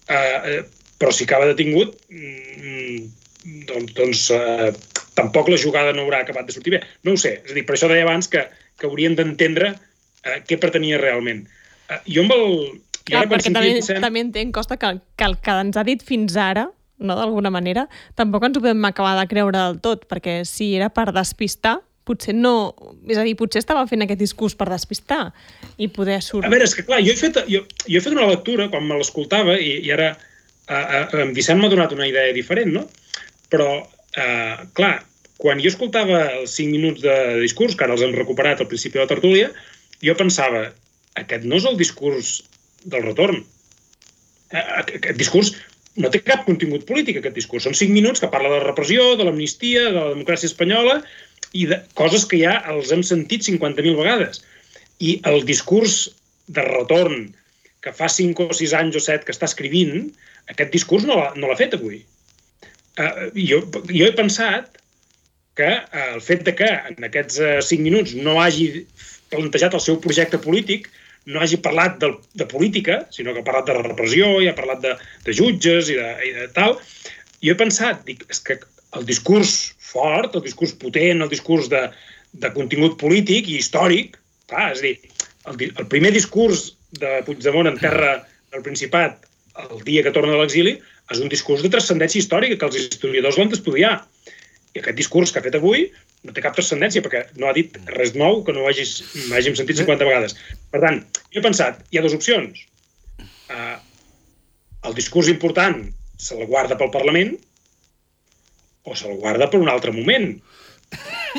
Eh, eh, però si acaba detingut, mm, doncs, doncs eh, tampoc la jugada no haurà acabat de sortir bé. No ho sé. És a dir, per això deia abans que, que haurien d'entendre eh, què pretenia realment. Eh, jo amb el... Clar, perquè també, Vicent... també entenc, Costa, que, que el que ens ha dit fins ara, no, d'alguna manera, tampoc ens ho podem acabar de creure del tot, perquè si era per despistar, potser no... És a dir, potser estava fent aquest discurs per despistar i poder sortir... A veure, és que clar, jo he fet, jo, jo he fet una lectura quan me l'escoltava i, i ara eh, eh, en Vicent m'ha donat una idea diferent, no? Però, eh, clar, quan jo escoltava els cinc minuts de discurs, que ara els hem recuperat al principi de la tertúlia, jo pensava, aquest no és el discurs del retorn. Aquest discurs no té cap contingut polític, aquest discurs. Són cinc minuts que parla de la repressió, de l'amnistia, de la democràcia espanyola i de coses que ja els hem sentit cinquanta mil vegades. I el discurs de retorn que fa cinc o sis anys o set que està escrivint, aquest discurs no l'ha no l'ha fet avui. Uh, jo, jo he pensat que uh, el fet de que en aquests uh, cinc minuts no hagi plantejat el seu projecte polític, no hagi parlat de, de política, sinó que ha parlat de la repressió i ha parlat de, de jutges i de, i de tal. Jo he pensat, dic, és que el discurs fort, el discurs potent, el discurs de, de contingut polític i històric, clar, és a dir, el, el primer discurs de Puigdemont en terra del Principat el dia que torna de l'exili és un discurs de transcendència històrica que els historiadors l'han d'estudiar. I aquest discurs que ha fet avui no té cap transcendència, perquè no ha dit res nou que no hagis, hàgim sentit cinquanta vegades. Per tant, jo he pensat, hi ha dues opcions. Uh, el discurs important se el guarda pel Parlament o se'l guarda per un altre moment.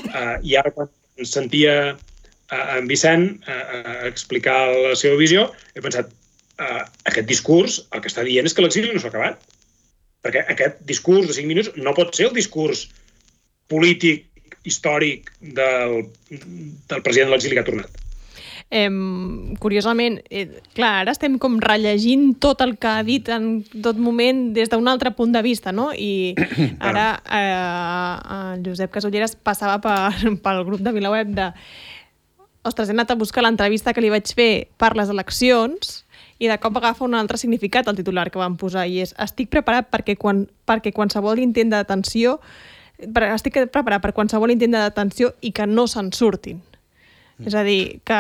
Uh, I ara, quan sentia uh, en Vicent uh, explicar la seva visió, he pensat, uh, aquest discurs, el que està dient és que l'exili no s'ha acabat. Perquè aquest discurs de cinc minuts no pot ser el discurs polític, històric del, del president de l'exili que ha tornat. Eh, curiosament, eh, clar, ara estem com rellegint tot el que ha dit en tot moment des d'un altre punt de vista, no? I ara eh, el Josep Casulleras passava per, pel grup de VilaWeb de ostres, he anat a buscar l'entrevista que li vaig fer per les eleccions i de cop agafa un altre significat el titular que van posar i és estic preparat perquè, quan, perquè qualsevol intent de detenció estic preparat per qualsevol intent de detenció i que no se'n surtin. Mm. És a dir, que,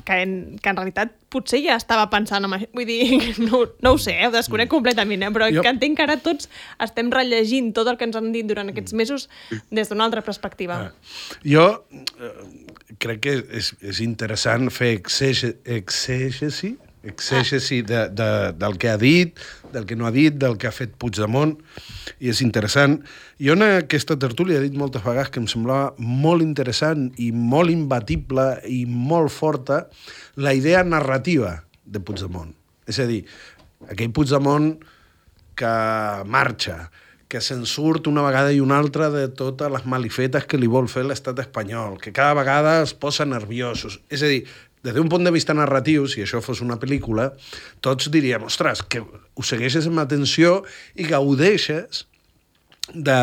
que, en, que en realitat potser ja estava pensant en això. Vull dir, no, no ho sé, ho desconec mm. completament, eh? Però jo... que entenc que ara tots estem rellegint tot el que ens han dit durant aquests mesos des d'una altra perspectiva. Ah. Jo eh, crec que és, és interessant fer exègesi exègesi de, de, del que ha dit, del que no ha dit, del que ha fet Puigdemont, i és interessant. Jo en aquesta tertúlia he dit moltes vegades que em semblava molt interessant i molt imbatible i molt forta la idea narrativa de Puigdemont. És a dir, aquell Puigdemont que marxa, que se'n surt una vegada i una altra de totes les malifetes que li vol fer l'estat espanyol, que cada vegada es posa nerviosos. És a dir, des d'un punt de vista narratiu, si això fos una pel·lícula, tots diríem, ostres, que ho segueixes amb atenció i gaudeixes de,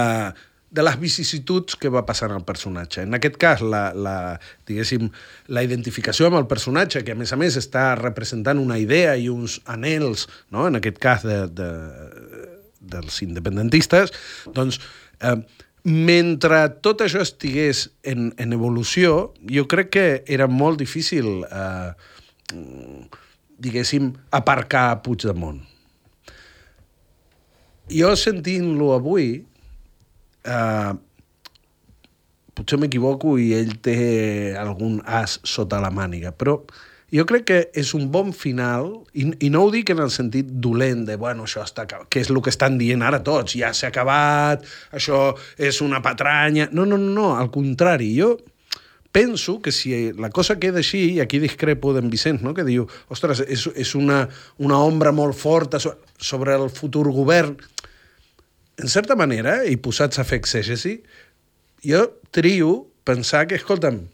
de les vicissituds que va passant al personatge. En aquest cas, la, la, diguéssim, la identificació amb el personatge, que a més a més està representant una idea i uns anhels, no? En aquest cas de, de, dels independentistes, doncs... Eh, mentre tot això estigués en, en evolució, jo crec que era molt difícil, eh, diguéssim, aparcar Puigdemont. Jo sentint-lo avui, eh, potser m'equivoco i ell té algun as sota la màniga, però jo crec que és un bon final, i, i no ho dic en el sentit dolent de, bueno, això està acabat, que és el que estan dient ara tots, ja s'ha acabat, això és una patranya... No, no, no, no, al contrari, jo penso que si la cosa queda així, i aquí discrepo d'en Vicent, no? Que diu, ostres, és, és una, una ombra molt forta sobre el futur govern. En certa manera, i posats a fer exègesi, jo trio pensar que, escolta'm,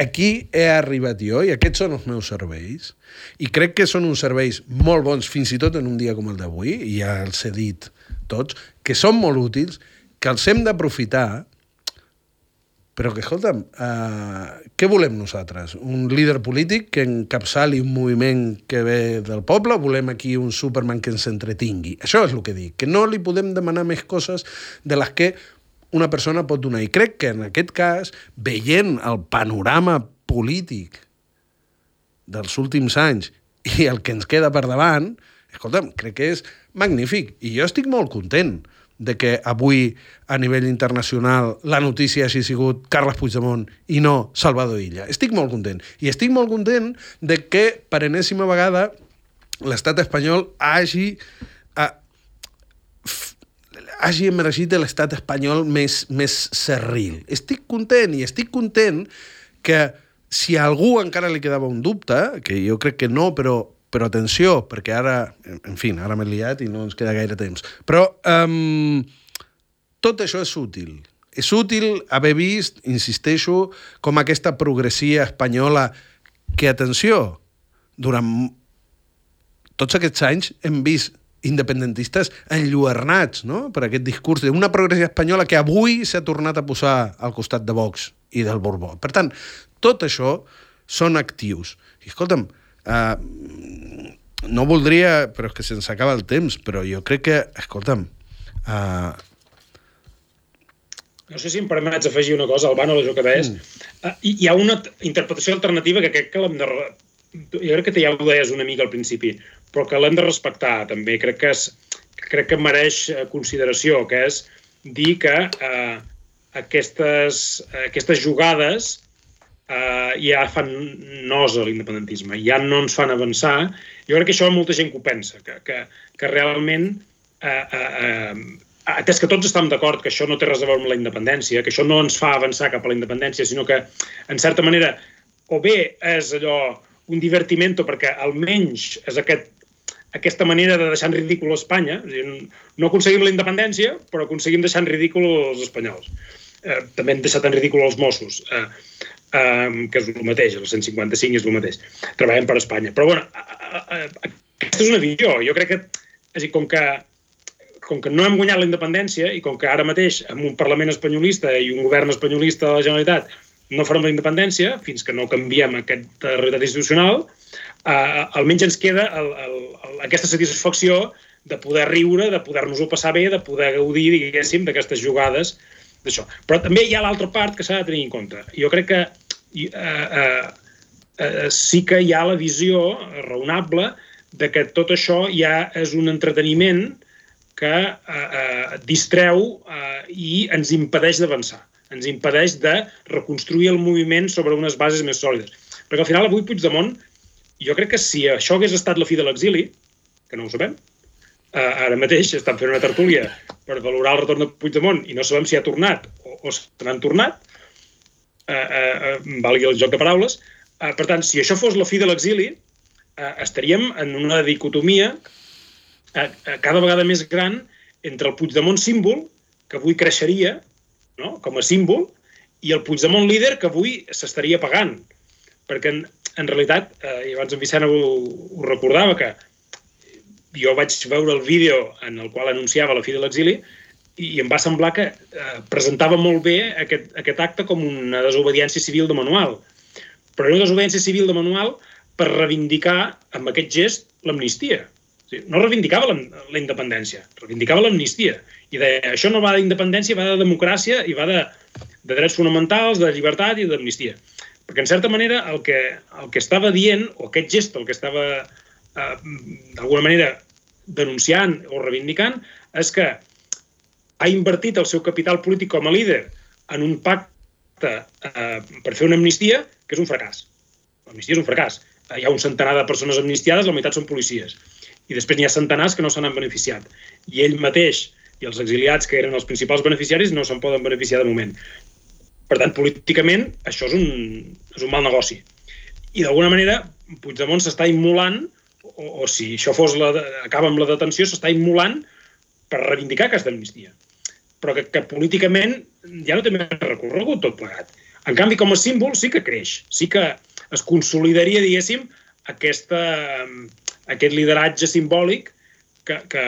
aquí he arribat jo i aquests són els meus serveis i crec que són uns serveis molt bons, fins i tot en un dia com el d'avui, i ja els he dit tots, que són molt útils, que els hem d'aprofitar, però que, escolta'm, uh, què volem nosaltres? Un líder polític que encapçali un moviment que ve del poble, o volem aquí un Superman que ens entretingui? Això és el que dic, que no li podem demanar més coses de les que una persona pot donar. I crec que en aquest cas, veient el panorama polític dels últims anys i el que ens queda per davant, escolta'm, crec que és magnífic. I jo estic molt content de que avui, a nivell internacional, la notícia hagi sigut Carles Puigdemont i no Salvador Illa. Estic molt content. I estic molt content de que, per enèsima vegada, l'estat espanyol hagi... Uh, hagi emergit de l'estat espanyol més, més serril. Estic content, i estic content que si a algú encara li quedava un dubte, que jo crec que no, però, però atenció, perquè ara, en fi, ara m'he liat i no ens queda gaire temps, però um, tot això és útil. És útil haver vist, insisteixo, com aquesta progressia espanyola que, atenció, durant tots aquests anys hem vist independentistes enlluernats, no?, per aquest discurs d'una progressió espanyola que avui s'ha tornat a posar al costat de Vox i del Borbó. Per tant, tot això són actius. I, escolta'm, uh, no voldria, però és que se'ns acaba el temps, però jo crec que, escolta'm... Uh... No sé si em permets afegir una cosa, Albano, a això que deies. Mm. Uh, hi ha una interpretació alternativa que crec que l'hem de... Jo crec que ja ho deies una mica al principi, però que l'hem de respectar, també. Crec que, és, crec que mereix consideració, que és dir que eh, aquestes, aquestes jugades eh, ja fan nosa a l'independentisme, ja no ens fan avançar. Jo crec que això molta gent que ho pensa, que, que, que realment, eh, eh, atès que tots estem d'acord que això no té res a veure amb la independència, que això no ens fa avançar cap a la independència, sinó que, en certa manera, o bé és allò un divertimento, perquè almenys és aquest, aquesta manera de deixar en ridícul Espanya. No aconseguim la independència, però aconseguim deixar en ridícul els espanyols. Eh, també hem deixat en ridícul els Mossos, eh, eh, que és el mateix, el cent cinquanta-cinc és el mateix. Treballem per Espanya. Però, bueno, eh, eh, aquesta és una visió. Jo crec que, és a dir, com que, com que no hem guanyat la independència i com que ara mateix amb un Parlament espanyolista i un govern espanyolista de la Generalitat no farem la independència, fins que no canviem aquesta realitat institucional, eh, almenys ens queda el, el, el, aquesta satisfacció de poder riure, de poder-nos-ho passar bé, de poder gaudir, diguéssim, d'aquestes jugades d'això. Però també hi ha l'altra part que s'ha de tenir en compte. Jo crec que eh, eh, eh, sí que hi ha la visió raonable de que tot això ja és un entreteniment que eh, eh, distreu eh, i ens impedeix d'avançar. Ens impedeix de reconstruir el moviment sobre unes bases més sòlides. Perquè al final avui Puigdemont, jo crec que si això hagués estat la fi de l'exili, que no ho sabem, eh, ara mateix estan fent una tertúlia per valorar el retorn de Puigdemont i no sabem si ha tornat o, o se n'han tornat, eh, eh, valgui el joc de paraules. Eh, per tant, si això fos la fi de l'exili, eh, estaríem en una dicotomia eh, cada vegada més gran entre el Puigdemont símbol, que avui creixeria, no?, com a símbol, i el Puigdemont líder que avui s'estaria pagant. Perquè, en, en realitat, eh, i abans en Vicent ho, ho recordava, que jo vaig veure el vídeo en el qual anunciava la fi de l'exili i, i em va semblar que eh, presentava molt bé aquest, aquest acte com una desobediència civil de manual. Però era una desobediència civil de manual per reivindicar amb aquest gest l'amnistia. O sigui, no reivindicava la, la independència, reivindicava l'amnistia. I deia, això no va d'independència, va de democràcia i va de, de drets fonamentals, de llibertat i d'amnistia. Perquè, en certa manera, el que, el que estava dient, o aquest gest, el que estava eh, d'alguna manera denunciant o reivindicant, és que ha invertit el seu capital polític com a líder en un pacte eh, per fer una amnistia que és un fracàs. l'amnistia és un fracàs. Hi ha un centenar de persones amnistiades, la meitat són policies. I després n'hi ha centenars que no se n'han beneficiat. I ell mateix i els exiliats, que eren els principals beneficiaris, no se'n poden beneficiar de moment. Per tant, políticament, això és un, és un mal negoci. I d'alguna manera, Puigdemont s'està immolant, o, o si això fos la, acaba amb la detenció, s'està immolant per reivindicar aquesta amnistia. Però que, que políticament ja no té més recorregut tot plegat. En canvi, com a símbol sí que creix, sí que es consolidaria, diguéssim, aquesta, aquest lideratge simbòlic que, que,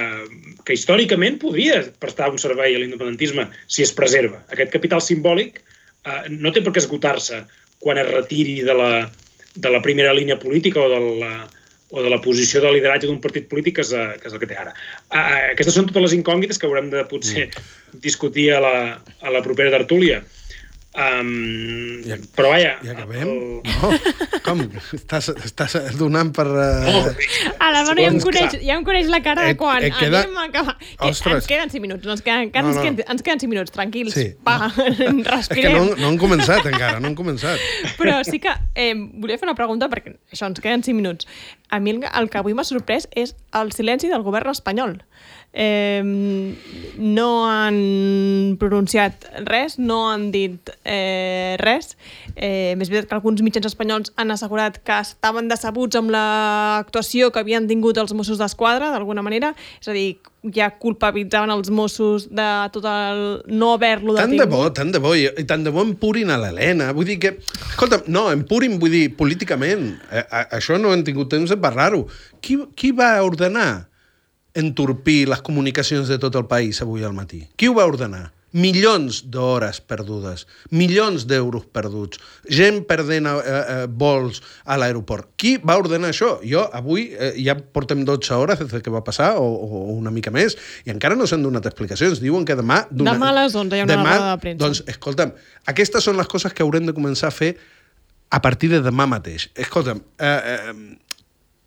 que històricament podria prestar un servei a l'independentisme si es preserva. Aquest capital simbòlic eh, no té per què esgotar-se quan es retiri de la, de la primera línia política o de la, o de la posició de lideratge d'un partit polític que és, que és el que té ara. Eh, aquestes són totes les incògnites que haurem de potser discutir a la, a la propera tertúlia. Um, ja, però vaja... Ja acabem? El... No? Com? Estàs, estàs donant per... Uh... Oh, a la mano ja em, coneix, ja em coneix la cara de quan et queda... anem a acabar. Ens queden cinc minuts, no, ens, queden, no, no. Ens, queden, ens queden cinc minuts, tranquils. Sí. Va, no. Respirem. És que no, no han començat encara, no han començat. Però sí que eh, volia fer una pregunta, perquè això, ens queden cinc minuts. A mi el, el que avui m'ha sorprès és el silenci del govern espanyol. Eh, no han pronunciat res, no han dit eh, res. Eh, més veritat que alguns mitjans espanyols han assegurat que estaven decebuts amb l'actuació que havien tingut els Mossos d'Esquadra, d'alguna manera. És a dir, ja culpabilitzaven els Mossos de tot el no haver-lo detingut. Tant de bo, tant de bo, i, i tant de bo empurin a l'Helena. Vull dir que... Escolta, no, empurin, vull dir, políticament. A, a, això no hem tingut temps de parlar-ho. Qui, qui va ordenar entorpir les comunicacions de tot el país avui al matí? Qui ho va ordenar? Milions d'hores perdudes, milions d'euros perduts, gent perdent eh, eh, vols a l'aeroport. Qui va ordenar això? Jo, avui, eh, ja portem dotze hores des que va passar, o, o una mica més, i encara no s'han donat explicacions. Diuen que demà... Demà a les onze hi ha una demà, roda de premsa. Doncs, escolta'm, aquestes són les coses que haurem de començar a fer a partir de demà mateix. Escolta'm, eh, eh,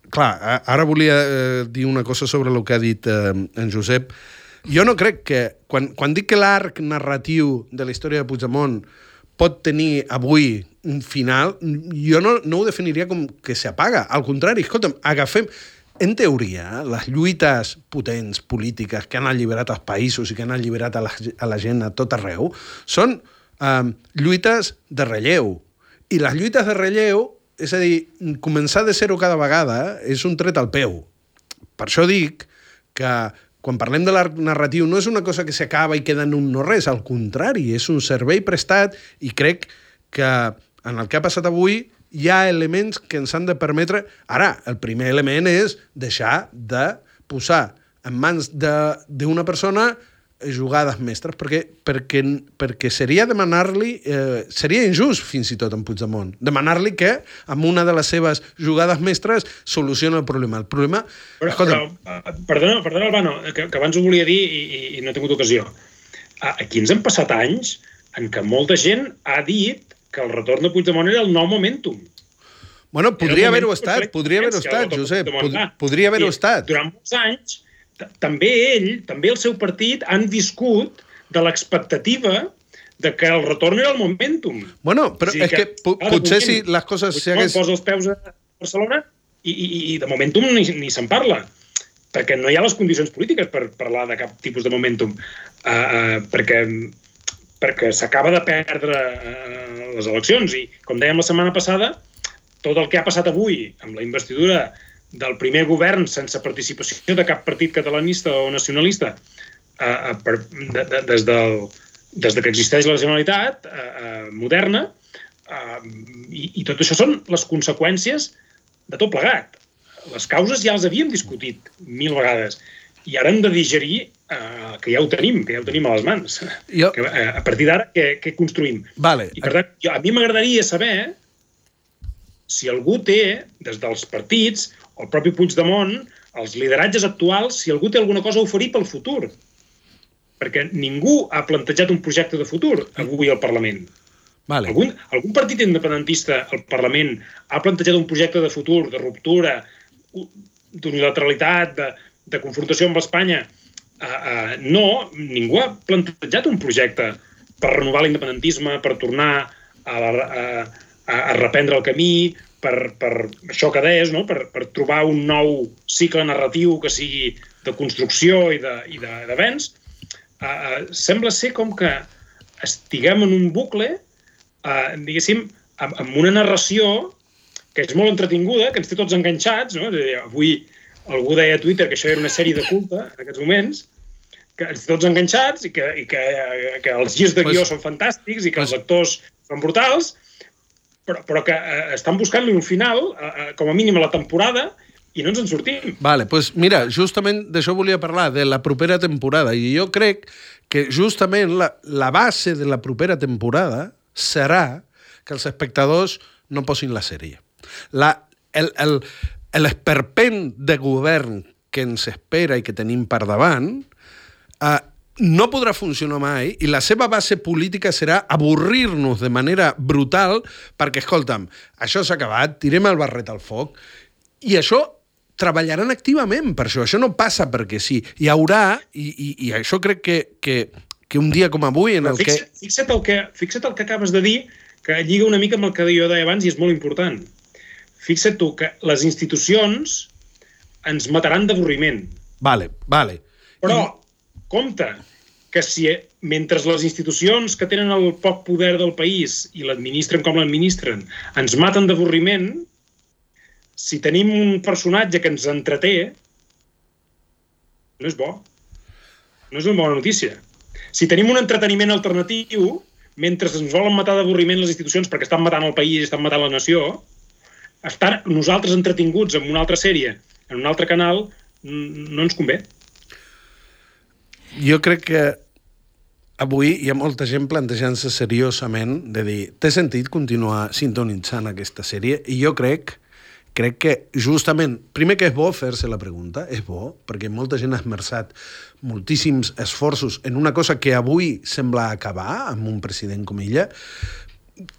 clar, ara volia eh, dir una cosa sobre el que ha dit eh, en Josep. Jo no crec que... Quan, quan dic que l'arc narratiu de la història de Puigdemont pot tenir avui un final, jo no, no ho definiria com que s'apaga. Al contrari, escolta'm, agafem... En teoria, les lluites potents polítiques que han alliberat els països i que han alliberat a la, a la gent a tot arreu són eh, lluites de relleu. I les lluites de relleu, és a dir, començar de zero cada vegada és un tret al peu. Per això dic que quan parlem de l'arc narratiu no és una cosa que s'acaba i queda en un no res, al contrari, és un servei prestat i crec que en el que ha passat avui hi ha elements que ens han de permetre... Ara, el primer element és deixar de posar en mans d'una persona jugades mestres, perquè, perquè, perquè seria demanar-li, eh, seria injust fins i tot en Puigdemont, demanar-li que amb una de les seves jugades mestres soluciona el problema. El problema... Però, però, perdona, perdona, Albano, que, que abans ho volia dir i, i no he tingut ocasió. Aquí ens han passat anys en què molta gent ha dit que el retorn de Puigdemont era el nou momentum. Bueno, podria haver-ho estat, podria haver-ho estat, Josep, podria haver-ho estat. Durant molts anys també ell, també el seu partit han viscut de l'expectativa de que el retorn era el momentum. Bueno, però o sigui és que, que ara, potser si les coses... Si hagués... posa els peus a Barcelona i, i, i de momentum ni, ni se'n parla, perquè no hi ha les condicions polítiques per parlar de cap tipus de momentum, uh, uh, perquè, perquè s'acaba de perdre uh, les eleccions i, com dèiem la setmana passada, tot el que ha passat avui amb la investidura del primer govern sense participació de cap partit catalanista o nacionalista eh, per, de, de, des, del, des de que existeix la Generalitat eh, eh, moderna eh, i, i tot això són les conseqüències de tot plegat. Les causes ja les havíem discutit mil vegades i ara hem de digerir eh, que ja ho tenim, que ja ho tenim a les mans. Jo... Que, eh, a partir d'ara, què, què construïm? Vale. I per tant, jo, a mi m'agradaria saber si algú té, des dels partits, el propi Puigdemont, els lideratges actuals, si algú té alguna cosa a oferir pel futur. Perquè ningú ha plantejat un projecte de futur avui al Parlament. Vale. Algun, algun partit independentista al Parlament ha plantejat un projecte de futur, de ruptura, d'unilateralitat, de, de confrontació amb Espanya? Uh, uh, no, ningú ha plantejat un projecte per renovar l'independentisme, per tornar a, a, a reprendre el camí, per, per això que deies, no? per, per trobar un nou cicle narratiu que sigui de construcció i d'avenç, uh, uh, sembla ser com que estiguem en un bucle, uh, diguéssim, amb, amb una narració que és molt entretinguda, que ens té tots enganxats, no? Avui algú deia a Twitter que això era una sèrie de culte en aquests moments, que ens té tots enganxats i que, i que, que els girs de guió pues, són fantàstics i que pues, els actors són brutals, però, però que eh, estan buscant-li un final, eh, com a mínim a la temporada, i no ens en sortim. Vale, pues mira, justament d'això volia parlar, de la propera temporada, i jo crec que justament la, la base de la propera temporada serà que els espectadors no posin la sèrie. La, el, el, l'esperpent de govern que ens espera i que tenim per davant eh, no podrà funcionar mai i la seva base política serà avorrir-nos de manera brutal perquè, escolta'm, això s'ha acabat, tirem el barret al foc i això treballaran activament per això. Això no passa perquè sí. Hi haurà, i, i, i això crec que, que, que un dia com avui en el fixa't, que... Fixa't el que... Fixa't el que acabes de dir, que lliga una mica amb el que jo deia abans i és molt important. Fixa't tu que les institucions ens mataran d'avorriment. Vale, vale. Però, compte, que si mentre les institucions que tenen el poc poder del país i l'administren com l'administren ens maten d'avorriment, si tenim un personatge que ens entreté, no és bo. No és una bona notícia. Si tenim un entreteniment alternatiu, mentre ens volen matar d'avorriment les institucions perquè estan matant el país i estan matant la nació, estar nosaltres entretinguts en una altra sèrie, en un altre canal, no ens convé. Jo crec que avui hi ha molta gent plantejant-se seriosament de dir, té sentit continuar sintonitzant aquesta sèrie? I jo crec crec que justament, primer que és bo fer-se la pregunta, és bo, perquè molta gent ha esmerçat moltíssims esforços en una cosa que avui sembla acabar amb un president com ella.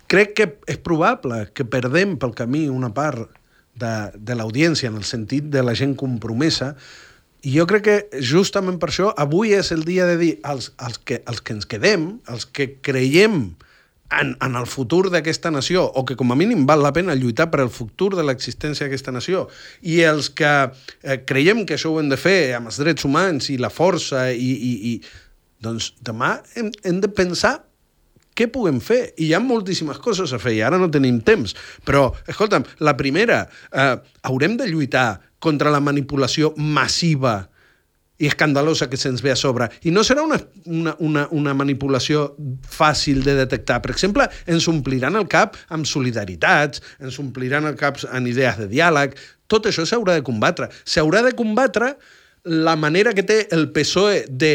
Crec que és probable que perdem pel camí una part de, de l'audiència en el sentit de la gent compromesa i jo crec que justament per això avui és el dia de dir als, als, que, als que ens quedem, als que creiem En, en el futur d'aquesta nació, o que com a mínim val la pena lluitar per al futur de l'existència d'aquesta nació, i els que eh, creiem que això ho hem de fer amb els drets humans i la força, i, i, i doncs demà hem, hem de pensar què puguem fer. I hi ha moltíssimes coses a fer, i ara no tenim temps. Però, escolta'm, la primera, eh, haurem de lluitar contra la manipulació massiva i escandalosa que se'ns ve a sobre. I no serà una, una, una, una manipulació fàcil de detectar. Per exemple, ens ompliran el cap amb solidaritats, ens ompliran el cap en idees de diàleg. Tot això s'haurà de combatre. S'haurà de combatre la manera que té el P S O E de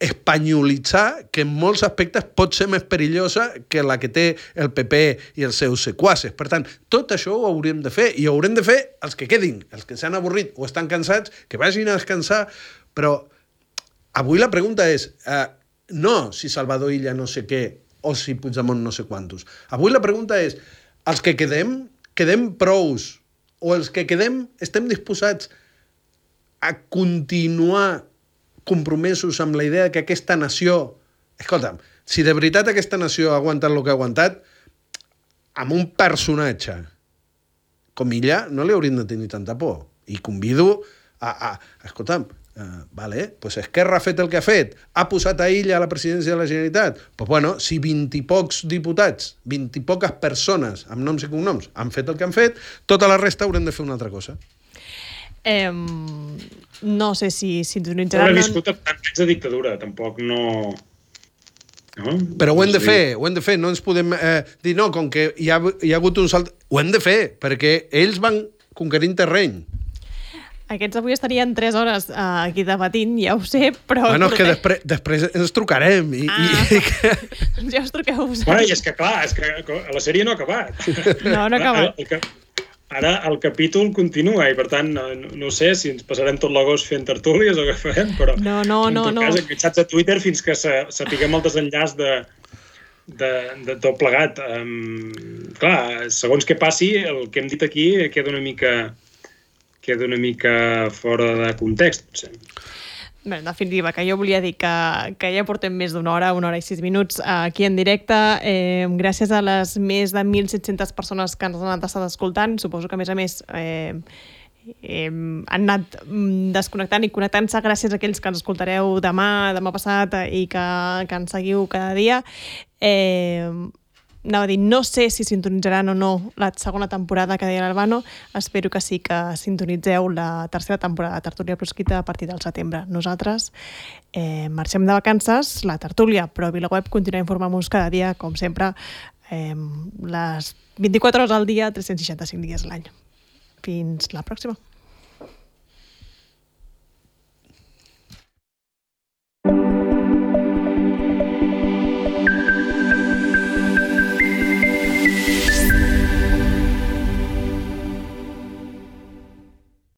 espanyolitzar, que en molts aspectes pot ser més perillosa que la que té el P P i els seus sequaces. Per tant, tot això ho hauríem de fer, i ho haurem de fer els que quedin, els que s'han avorrit o estan cansats, que vagin a descansar. Però avui la pregunta és, eh, no si Salvador Illa no sé què o si Puigdemont no sé quantos. Avui la pregunta és, els que quedem, quedem prous, o els que quedem estem disposats a continuar compromesos amb la idea que aquesta nació... Escolta'm, si de veritat aquesta nació ha aguantat el que ha aguantat, amb un personatge com Illa no li hauríem de tenir tanta por. I convido a... a escolta'm, Uh, vale, pues Esquerra ha fet el que ha fet, ha posat a Illa a la presidència de la Generalitat, pues bueno, si vint i pocs diputats, vint i poques persones amb noms i cognoms han fet el que han fet, tota la resta haurem de fer una altra cosa. Eh, no sé si sintonitzarà... No he viscut anys de dictadura, tampoc no... no? Però ho hem de fer, ho hem de fer, no ens podem eh, dir no, com que hi ha, hi ha hagut un salt... Ho hem de fer, perquè ells van conquerint terreny. Aquests avui estarien tres hores uh, aquí debatint, ja ho sé, però... Bueno, és que després, després ens trucarem i... Ah, i que... ja us truqueu vosaltres. Bueno, i és que clar, és que la sèrie no ha acabat. No, no ha acabat. El, el, ara el capítol continua i per tant no, no sé si ens passarem tot l'agost fent tertúlies o què farem, però no, no, en no, tot no. cas enganxats a Twitter fins que sapiguem el desenllaç de, de, de tot plegat. Um, clar, segons què passi, el que hem dit aquí queda una mica... queda una mica fora de context, potser. Bé, en definitiva, que jo volia dir que, que ja portem més d'una hora, una hora i sis minuts aquí en directe. Eh, gràcies a les més de mil set-centes persones que ens han estat escoltant. Suposo que, a més a més, eh, eh, han anat desconnectant i connectant-se gràcies a aquells que ens escoltareu demà, demà passat i que, que ens seguiu cada dia. Eh, anava a dir, no sé si sintonitzaran o no la segona temporada que deia l'Albano. Espero que sí que sintonitzeu la tercera temporada de Tertúlia Proscrita a partir del setembre. Nosaltres eh, marxem de vacances, la tertúlia, però a VilaWeb continua informant-vos cada dia, com sempre, eh, les vint-i-quatre hores al dia, tres-cents seixanta-cinc dies a l'any. Fins la pròxima.